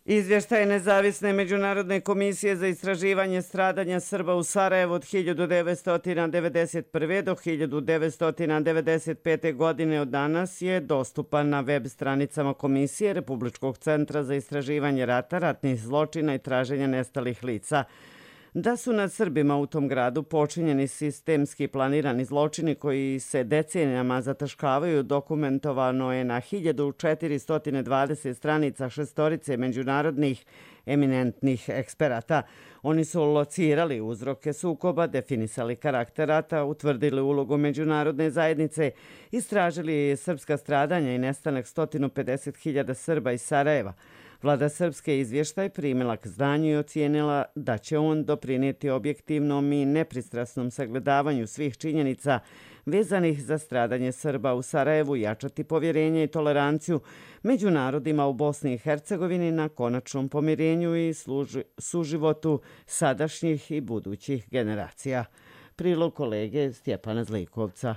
Izvještaj Nezavisne međunarodne komisije za istraživanje stradanja Srba u Sarajevu od hiljadu devetsto devedeset prve. do hiljadu devetsto devedeset pete. godine od danas je dostupan na web stranicama Komisije Republičkog centra za istraživanje rata, ratnih zločina i traženja nestalih lica. Da su nad Srbima u tom gradu počinjeni sistemski planirani zločini koji se decenijama zataškavaju, dokumentovano je na hiljadu četiristo dvadeset stranica šestorice međunarodnih eminentnih eksperata. Oni su locirali uzroke sukoba, definisali karakter rata, utvrdili ulogu međunarodne zajednice, istražili srpska stradanja i nestanak sto pedeset hiljada Srba iz Sarajeva. Vlada Srpske izvještaj primila k znanju i ocijenila da će on doprinijeti objektivnom i nepristrasnom sagledavanju svih činjenica vezanih za stradanje Srba u Sarajevu, jačati povjerenje i toleranciju među narodima u Bosni i Hercegovini na konačnom pomirenju i služi, suživotu sadašnjih i budućih generacija. Prilog kolege Stjepana Zlikovca.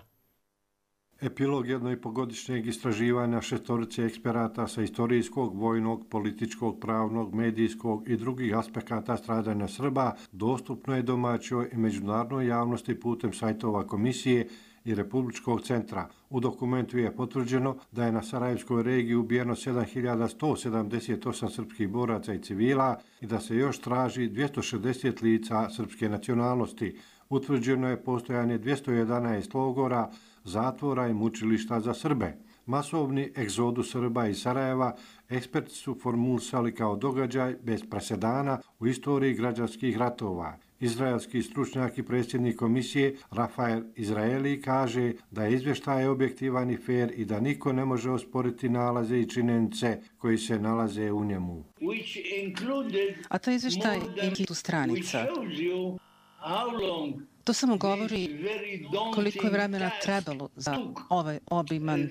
Epilog jednoipogodišnjeg istraživanja šestorice eksperata sa istorijskog, vojnog, političkog, pravnog, medijskog i drugih aspekata stradanja Srba dostupno je domaćoj i međunarodnoj javnosti putem sajtova Komisije i Republičkog centra. U dokumentu je potvrđeno da je na Sarajevskoj regiji ubijeno sedam hiljada sto sedamdeset osam srpskih boraca i civila i da se još traži dvjesto šezdeset lica srpske nacionalnosti. Utvrđeno je postojanje dvjesto jedanaest logora, zatvora i mučilišta za Srbe. Masovni egzodus Srba iz Sarajeva eksperti su formulisali kao događaj bez presedana u istoriji građanskih ratova. Izraelski stručnjak i predsjednik komisije Rafael Izraeli kaže da je izvještaj objektivan i fair i da niko ne može osporiti nalaze i činjenice koji se nalaze u njemu. A to izvještaj ima hiljadu stranica. To samo govori koliko je vremena trebalo za ovaj obiman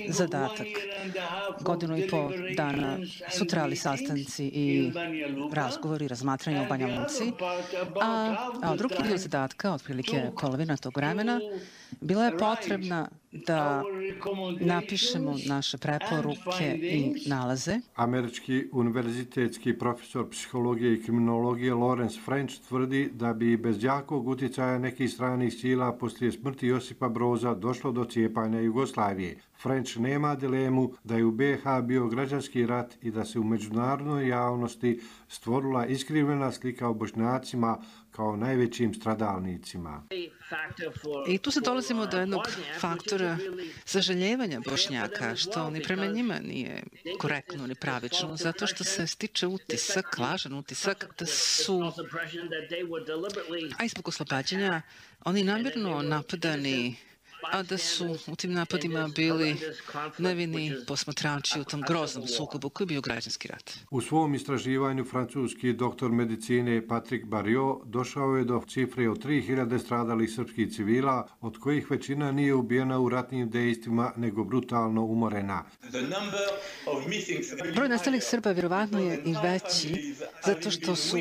zadatak. Godinu i pol dana su trajali sastanci i razgovori, razmatranja u Banja Luci, a, a drugi dio zadatka, otprilike polovina tog vremena, bila je potrebna da napišemo naše preporuke i nalaze. Američki univerzitetski profesor psihologije i kriminologije Lawrence French tvrdi da bi bez jakog utjecaja nekih stranih sila poslije smrti Josipa Broza došlo do cijepanja Jugoslavije. French nema dilemu da je u B H bio građanski rat i da se u međunarodnoj javnosti stvorila iskrivljena slika o Bošnjacima kao najvećim stradalnicima. I tu se dolazimo do jednog faktora sažaljevanja Bošnjaka, što ni prema njima nije korektno ni pravično, zato što se stiče utisak, lažan utisak, da su, a i zbog oslobađanja, oni namjerno napadani a da su u tim napadima bili nevini posmatrači u tom groznom sukobu koji je bio građanski rat. U svom istraživanju francuski doktor medicine Patrick Barriot došao je do cifre od tri hiljade stradalih srpskih civila, od kojih većina nije ubijena u ratnim dejstvima, nego brutalno umorena. Broj nestalih Srba vjerovatno je i veći, zato što su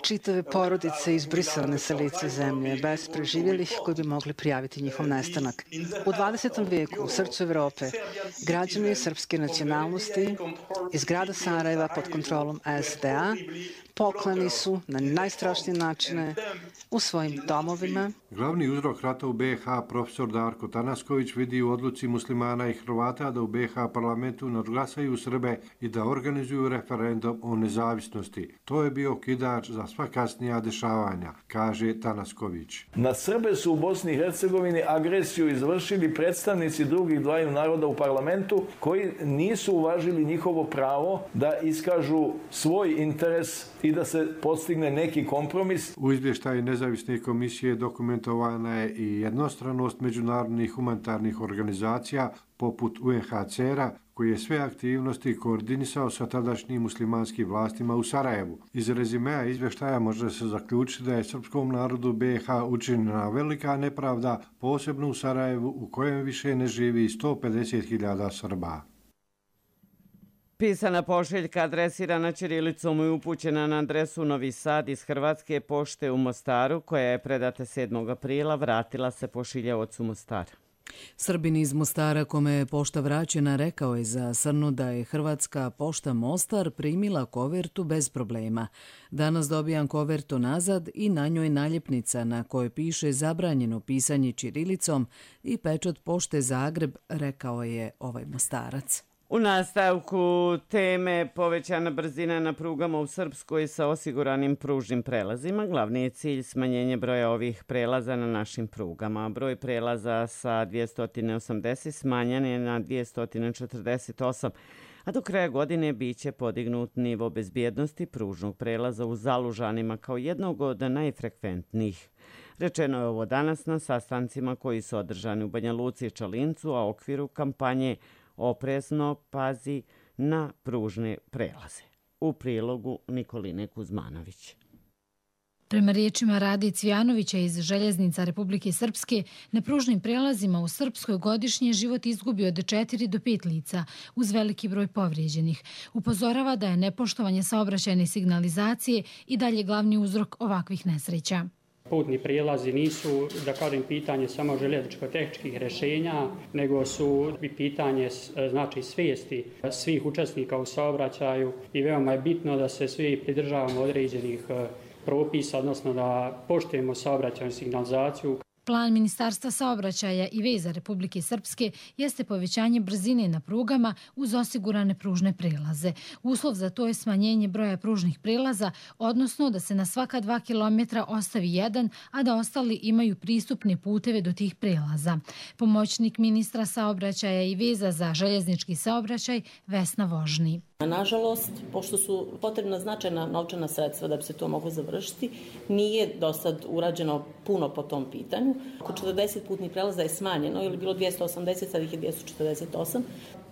čitave porodice izbrisane sa lice zemlje, bez preživjelih koji bi mogli prijaviti njihov nestanak. U dvadesetom vijeku u srcu Evrope građani srpske nacionalnosti iz grada Sarajeva pod kontrolom S D A poklani su na najstrašnije načine u svojim domovima. Glavni uzrok rata u B iH profesor Darko Tanasković vidi u odluci muslimana i Hrvata da u B iH parlamentu nadglasaju Srbe i da organizuju referendum o nezavisnosti. To je bio okidač za sva kasnija dešavanja, kaže Tanasković. Na Srbe su u Bosni i Hercegovini agresiju izvršili predstavnici drugih dvaju naroda u parlamentu koji nisu uvažili njihovo pravo da iskažu svoj interes i da se postigne neki kompromis. U izvještaju nezavisne komisije dokumentovana je i jednostranost međunarodnih humanitarnih organizacija poput U N H C R-a, koji je sve aktivnosti koordinisao sa tadašnjim muslimanskim vlastima u Sarajevu. Iz rezimea izvještaja može se zaključiti da je srpskom narodu B iH učinjena velika nepravda, posebno u Sarajevu u kojem više ne živi sto pedeset hiljada Srba. Pisana pošiljka adresirana ćirilicom i upućena na adresu Novi Sad iz Hrvatske pošte u Mostaru, koja je predata sedmog aprila, vratila se pošiljaocu Mostara. Srbin iz Mostara, kome je pošta vraćena, rekao je za Srnu da je Hrvatska pošta Mostar primila kovertu bez problema. Danas dobijam kovertu nazad i na njoj naljepnica na kojoj piše zabranjeno pisanje ćirilicom i pečat pošte Zagreb, rekao je ovaj Mostarac. U nastavku teme povećana brzina na prugama u Srpskoj sa osiguranim pružnim prelazima. Glavni je cilj smanjenje broja ovih prelaza na našim prugama. Broj prelaza sa dvjesto osamdeset smanjen je na dvjesto četrdeset osam, a do kraja godine biće podignut nivo bezbjednosti pružnog prelaza u Zalužanima kao jednog od najfrekventnijih. Rečeno je ovo danas na sastancima koji su održani u Banja Luci i Čalincu, a u okviru kampanje Oprezno pazi na pružne prelaze. U prilogu Nikoline Kuzmanović. Prema riječima Rade Cvijanovića iz Željeznica Republike Srpske, na pružnim prelazima u Srpskoj godišnje život izgubi od četiri do pet lica, uz veliki broj povrijeđenih. Upozorava da je nepoštovanje saobraćajne signalizacije i dalje glavni uzrok ovakvih nesreća. Putni prijelazi nisu, da kažem, pitanje samo željezničko-tehničkih rješenja, nego su i pitanje znači svijesti svih učesnika u saobraćaju i veoma je bitno da se svi pridržavamo određenih propisa, odnosno da poštujemo saobraćajnu signalizaciju. Plan Ministarstva saobraćaja i veza Republike Srpske jeste povećanje brzine na prugama uz osigurane pružne prelaze. Uslov za to je smanjenje broja pružnih prelaza, odnosno da se na svaka dva kilometra ostavi jedan, a da ostali imaju pristupne puteve do tih prelaza. Pomoćnik ministra saobraćaja i veza za željeznički saobraćaj Vesna Vožni. Nažalost, pošto su potrebna značajna novčana sredstva da bi se to moglo završiti, nije do sad urađeno puno po tom pitanju. Oko četrdeset putnih prelaza je smanjeno, ili bilo dvjesto osamdeset, sad ih je dvjesto četrdeset osam,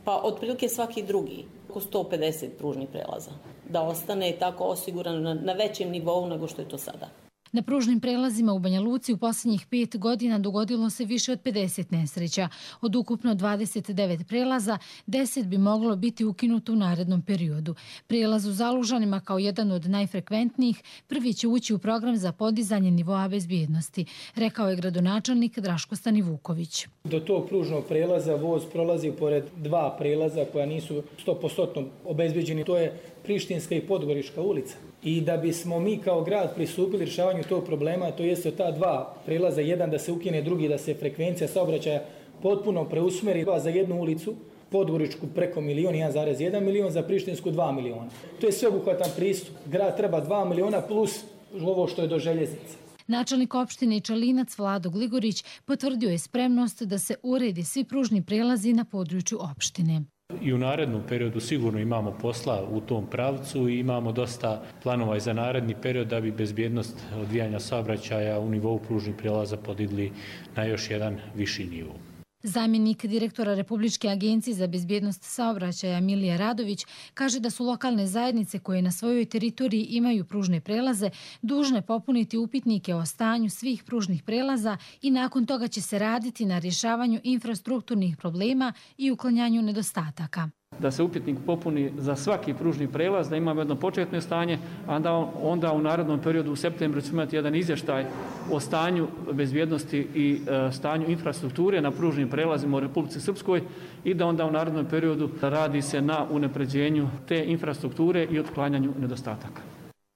pa otprilike svaki drugi, oko sto pedeset pružnih prelaza, da ostane tako osigurano na, na većem nivou nego što je to sada. Na pružnim prelazima u Banja Luci u posljednjih pet godina dogodilo se više od pedeset nesreća. Od ukupno dvadeset devet prelaza, deset bi moglo biti ukinuto u narednom periodu. Prelaz u Zalužanima kao jedan od najfrekventnijih prvi će ući u program za podizanje nivoa bezbjednosti, rekao je gradonačelnik Draško Stanivuković. Do tog pružnog prelaza voz prolazi pored dva prelaza koja nisu sto posto obezbeđeni. To je Prištinska i Podgorička ulica. I da bismo mi kao grad pristupili rješavanju tog problema, to jeste ta dva prelaza, jedan da se ukine, drugi da se frekvencija saobraćaja potpuno preusmeri za jednu ulicu, Podgoričku preko milion, jedan zarez jedan milion, za Prištinsku dva miliona. To je sveobuhvatan pristup. Grad treba dva miliona plus ovo što je do željeznice. Načelnik opštine Čalinac Vlado Gligorić potvrdio je spremnost da se uredi svi pružni prelazi na području opštine. I u narednom periodu sigurno imamo posla u tom pravcu i imamo dosta planova i za naredni period da bi bezbjednost odvijanja saobraćaja u nivou pružnih prijelaza podigli na još jedan viši nivo. Zamjenik direktora Republičke agencije za bezbjednost saobraćaja Milija Radović kaže da su lokalne zajednice koje na svojoj teritoriji imaju pružne prelaze dužne popuniti upitnike o stanju svih pružnih prelaza i nakon toga će se raditi na rješavanju infrastrukturnih problema i uklanjanju nedostataka. Da se upitnik popuni za svaki pružni prelaz, da imamo jedno početno stanje, a onda, onda u narednom periodu u septembru ćemo imati jedan izvještaj o stanju bezbjednosti i e, stanju infrastrukture na pružnim prelazima u Republici Srpskoj i da onda u narednom periodu radi se na unapređenju te infrastrukture i otklanjanju nedostataka.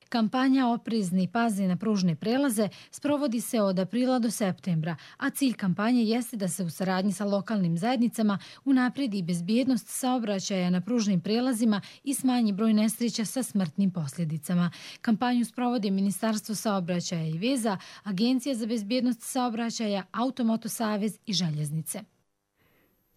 Kampanja Oprezni pazi na pružne prelaze sprovodi se od aprila do septembra, a cilj kampanje jeste da se u saradnji sa lokalnim zajednicama unaprijedi bezbjednost saobraćaja na pružnim prelazima i smanji broj nesreća sa smrtnim posljedicama. Kampanju sprovodi Ministarstvo saobraćaja i veza, Agencija za bezbjednost saobraćaja, Automoto savez i željeznice.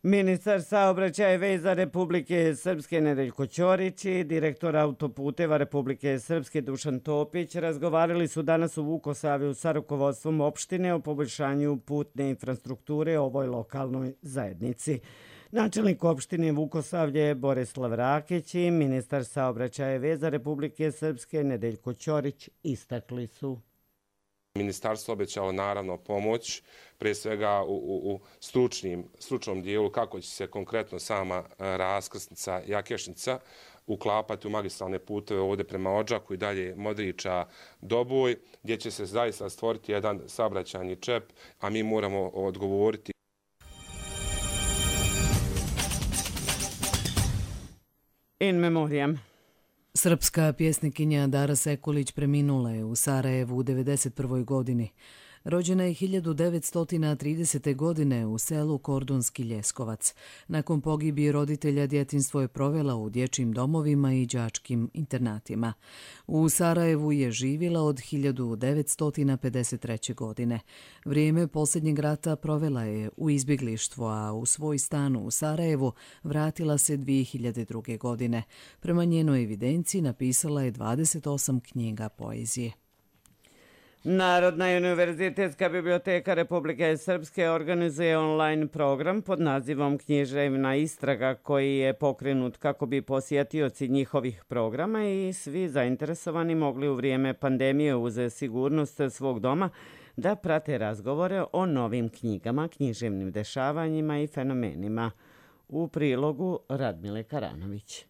Ministar saobraćaja i veza Republike Srpske Nedeljko Ćorić i direktor autoputeva Republike Srpske Dušan Topić razgovarali su danas u Vukosavlju sa rukovodstvom opštine o poboljšanju putne infrastrukture ovoj lokalnoj zajednici. Načelnik opštine Vukosavlje Borislav Rakić i ministar saobraćaja i veza Republike Srpske Nedeljko Ćorić istakli su. Ministarstvo obećalo naravno pomoć, prije svega u, u, u stručnim, stručnom dijelu kako će se konkretno sama raskrsnica Jakešnica uklapati u magistralne puteve ovdje prema Odžaku i dalje Modriča Doboj, gdje će se zaista stvoriti jedan saobraćajni čep, a mi moramo odgovoriti. In memoriam. Srpska pjesnikinja Dara Sekulić preminula je u Sarajevu u devedeset prvoj godini. Rođena je hiljadu devetsto tridesete. godine u selu Kordunski Ljeskovac. Nakon pogibije roditelja djetinjstvo je provela u dječjim domovima i đačkim internatima. U Sarajevu je živjela od hiljadu devetsto pedeset treće. godine. Vrijeme posljednjeg rata provela je u izbjeglištvu, a u svoj stan u Sarajevu vratila se dvije hiljade druge. godine. Prema njenoj evidenciji napisala je dvadeset osam knjiga poezije. Narodna i univerzitetska biblioteka Republike Srpske organizuje online program pod nazivom Književna istraga koji je pokrenut kako bi posjetioci njihovih programa i svi zainteresovani mogli u vrijeme pandemije uz sigurnost svog doma da prate razgovore o novim knjigama, književnim dešavanjima i fenomenima. U prilogu Radmile Karanović.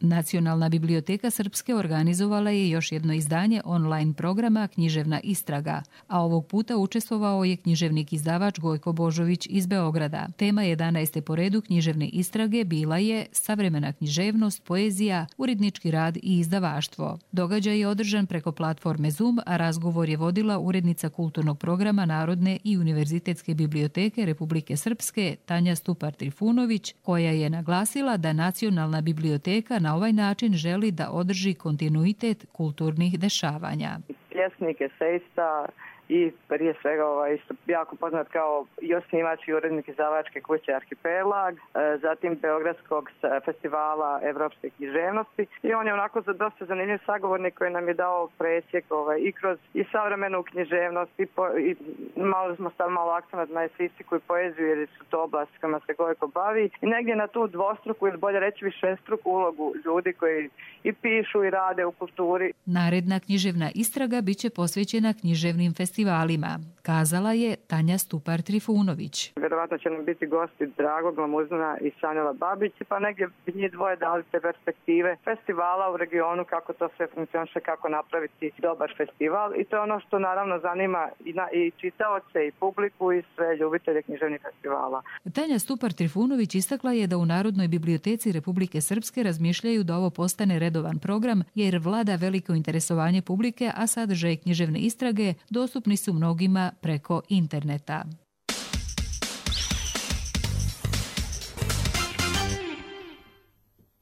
Nacionalna biblioteka Srpske organizovala je još jedno izdanje online programa Književna istraga, a ovog puta učestvovao je književnik izdavač Gojko Božović iz Beograda. Tema jedanaeste po redu književne istrage bila je savremena književnost, poezija, urednički rad i izdavaštvo. Događaj je održan preko platforme Zoom, a razgovor je vodila urednica kulturnog programa Narodne i univerzitetske biblioteke Republike Srpske Tanja Stupar-Trifunović, koja je naglasila da Nacionalna biblioteka na ovaj način želi da održi kontinuitet kulturnih dešavanja. Pjesnik, esejista i prije svega ovaj, isto jako poznat kao i osnivač i urednik izdavačke kuće Arhipelag, zatim Beogradskog festivala evropske književnosti i on je onako za dosta zanimljiv sagovornik koji nam je dao presjek ovaj, i kroz i savremenu književnost i, po, i malo smo stavili malo akcenat na eseistiku i poeziju jer su to oblasti kojima se Gojko bavi i negdje na tu dvostruku ili bolje reći višestruku ulogu ljudi koji i pišu i rade u kulturi. Naredna književna istraga biće posvećena književnim festivalima, kazala je Tanja Stupar-Trifunović. Vjerovatno će nam biti gosti Drago Glamuzina i Sanjela Babić, pa negdje bi njih dvoje dali te perspektive festivala u regionu, kako to sve funkcioniše, kako napraviti dobar festival i to je ono što naravno zanima i, na, i čitaoce i publiku i sve ljubitelje književnih festivala. Tanja Stupar-Trifunović istakla je da u Narodnoj biblioteci Republike Srpske razmišljaju da ovo postane redovan program jer vlada veliko interesovanje publike, a sadržaj književne istrage dostupni su mnogima preko interneta.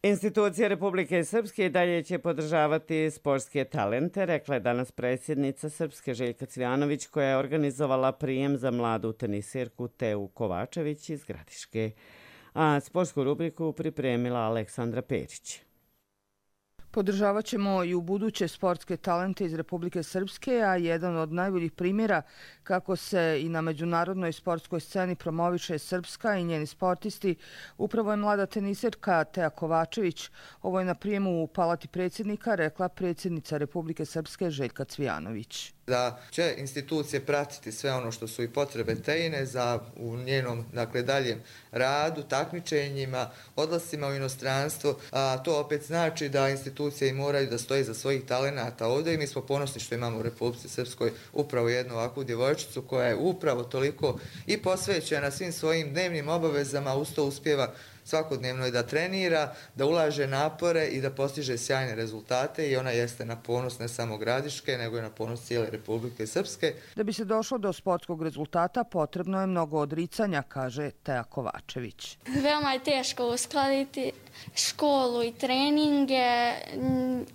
Institucije Republike Srpske i dalje će podržavati sportske talente, rekla je danas predsjednica Srpske Željka Cvijanović, koja je organizovala prijem za mladu tenisirku Teu Kovačević iz Gradiške. A sportsku rubriku pripremila Aleksandra Perić. Podržavat ćemo i u buduće sportske talente iz Republike Srpske, a jedan od najboljih primjera kako se i na međunarodnoj sportskoj sceni promoviše Srpska i njeni sportisti upravo je mlada teniserka Teja Kovačević. Ovo je na prijemu u Palati predsjednika rekla predsjednica Republike Srpske Željka Cvijanović. Da će institucije pratiti sve ono što su i potrebe Tejine za u njenom dakle, daljem radu, takmičenjima, odlascima u inostranstvo. A to opet znači da institucije i moraju da stoji za svojih talenata ovdje i mi smo ponosni što imamo u Republici Srpskoj upravo jednu ovakvu djevojčicu koja je upravo toliko i posvećena svim svojim dnevnim obavezama, uz to uspjeva svakodnevno i da trenira, da ulaže napore i da postiže sjajne rezultate i ona jeste na ponos ne samo Gradiške, nego i na ponos cijele Republike Srpske. Da bi se došlo do sportskog rezultata potrebno je mnogo odricanja, kaže Teja Kovačević. Veoma je teško uskladiti školu i treninge,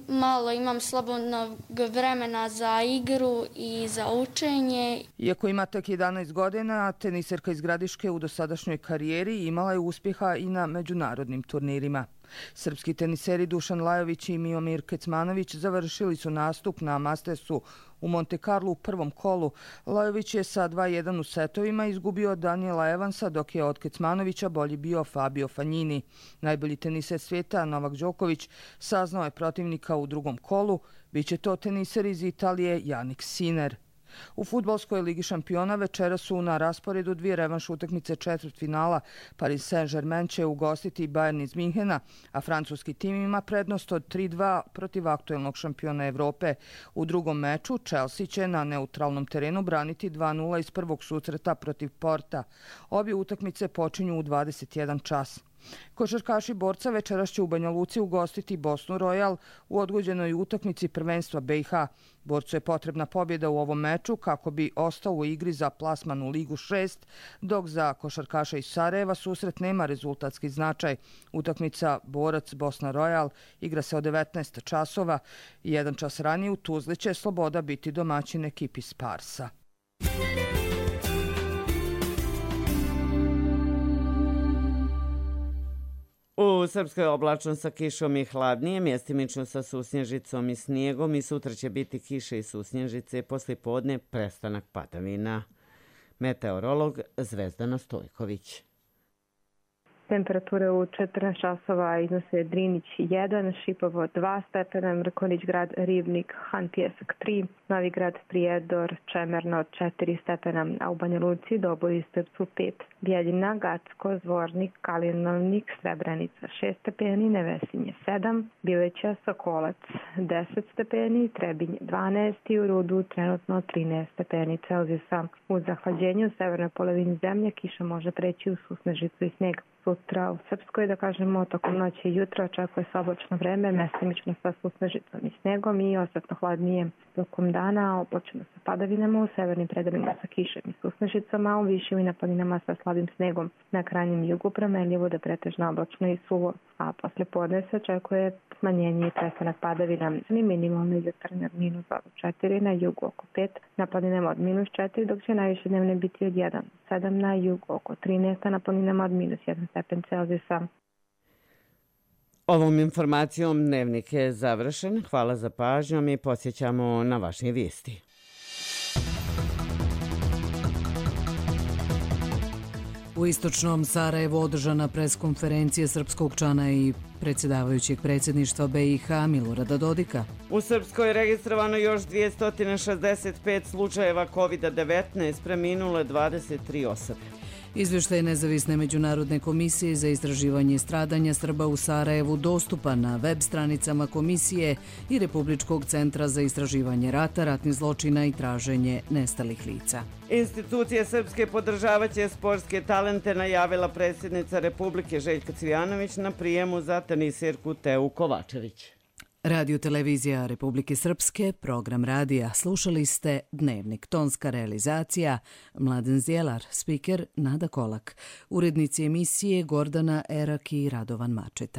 malo imam slobodnog vremena za igru i za učenje. Iako ima tek jedanaest godina, teniserka iz Gradiške u dosadašnjoj karijeri imala je uspjeha i na međunarodnim turnirima. Srpski teniseri Dušan Lajović i Miomir Kecmanović završili su nastup na Mastersu u Monte Carlo u prvom kolu. Lajović je sa dva jedan u setovima izgubio od Daniela Evansa, dok je od Kecmanovića bolji bio Fabio Fognini. Najbolji teniser svijeta Novak Đoković saznao je protivnika u drugom kolu. Biće to teniser iz Italije Jannik Sinner. U fudbalskoj ligi šampiona večera su na rasporedu dvije revanš utakmice četvrtfinala. Paris Saint-Germain će ugostiti Bayern iz Minhena, a francuski tim ima prednost od tri dva protiv aktuelnog šampiona Evrope. U drugom meču Chelsea će na neutralnom terenu braniti dva nula iz prvog susreta protiv Porta. Obje utakmice počinju u dvadeset jedan čas. Košarkaši Borca večeras će u Banja Luci ugostiti Bosnu Royal u odgođenoj utakmici prvenstva B i H. Borcu je potrebna pobjeda u ovom meču kako bi ostao u igri za plasman u Ligu šest, dok za košarkaša iz Sarajeva susret nema rezultatski značaj. Utakmica Borac Bosna Royal igra se od devetnaest časova i jedan čas ranije u Tuzli će Sloboda biti domaćin ekipi Sparsa. U Srpskoj oblačno sa kišom i hladnije, mjestimično sa susnježicom i snijegom i sutra će biti kiše i susnježice, poslije podne prestanak padavina. Meteorolog Zvezdana Stojković. Temperature u četrnaest časova iznose Drinić jedan, Šipovo dva stepena, Mrkonjić grad, Ribnik, Han Pijesak tri, Novi grad, Prijedor, Čemerno četiri stepena, a u Banja Luci, Doboj i Strpcu pet, Bijeljina, Gacko, Zvornik, Kalinovnik, Srebrenica šest stepeni, Nevesinje sedam, Bileća, Sokolac deset stepeni, Trebinj dvanaest i u Rudu trenutno trinaest stepeni Celzijusa. U zahlađenju u severnoj polovini zemlje kiša može preći u susnežicu i sneg. Sutra u Srpskoj, da kažemo, tokom noći i jutra očekuje se oblačno vreme, mestimično sa susnežicom i snegom i osjetno hladnije. Tokom dana oblačno sa padavinama u severnim predelima sa kišem i susnežicama, a u višim i na planinama sa slabim snegom. Na krajnjem jugu promenljivo da pretežno oblačno i suvo, a posle podne se očekuje smanjenje i prestanak padavina. Minimalne jutarnje od minus četiri, na jugu oko pet, na planinama od minus četiri, dok će najviše dnevne biti od jedan, sedam na jugu oko trinaest, a na planinama od minus jedan stepen Celzijusa. Ovom informacijom dnevnik je završen. Hvala za pažnjom i posjećamo na vaše vijesti. U istočnom Sarajevu održana preskonferencija srpskog člana i predsjedavajućeg predsjedništva B i H Milorada Dodika. U Srpskoj je registrovano još dvjesto šezdeset pet slučajeva kovid devetnaest, preminule dvadeset tri osobe. Izvještaj Nezavisne međunarodne komisije za istraživanje stradanja Srba u Sarajevu dostupan na web stranicama komisije i Republičkog centra za istraživanje rata, ratnih zločina i traženje nestalih lica. Institucije srpske podržavaće sportske talente, najavila predsjednica Republike Željka Cvijanović na prijemu za teniserku Teju Kovačević. Radio televizija Republike Srpske, program radija. Slušali ste Dnevnik. Tonska realizacija Mladen Zjelar, spiker Nada Kolak. Urednici emisije Gordana Erak i Radovan Mačeta.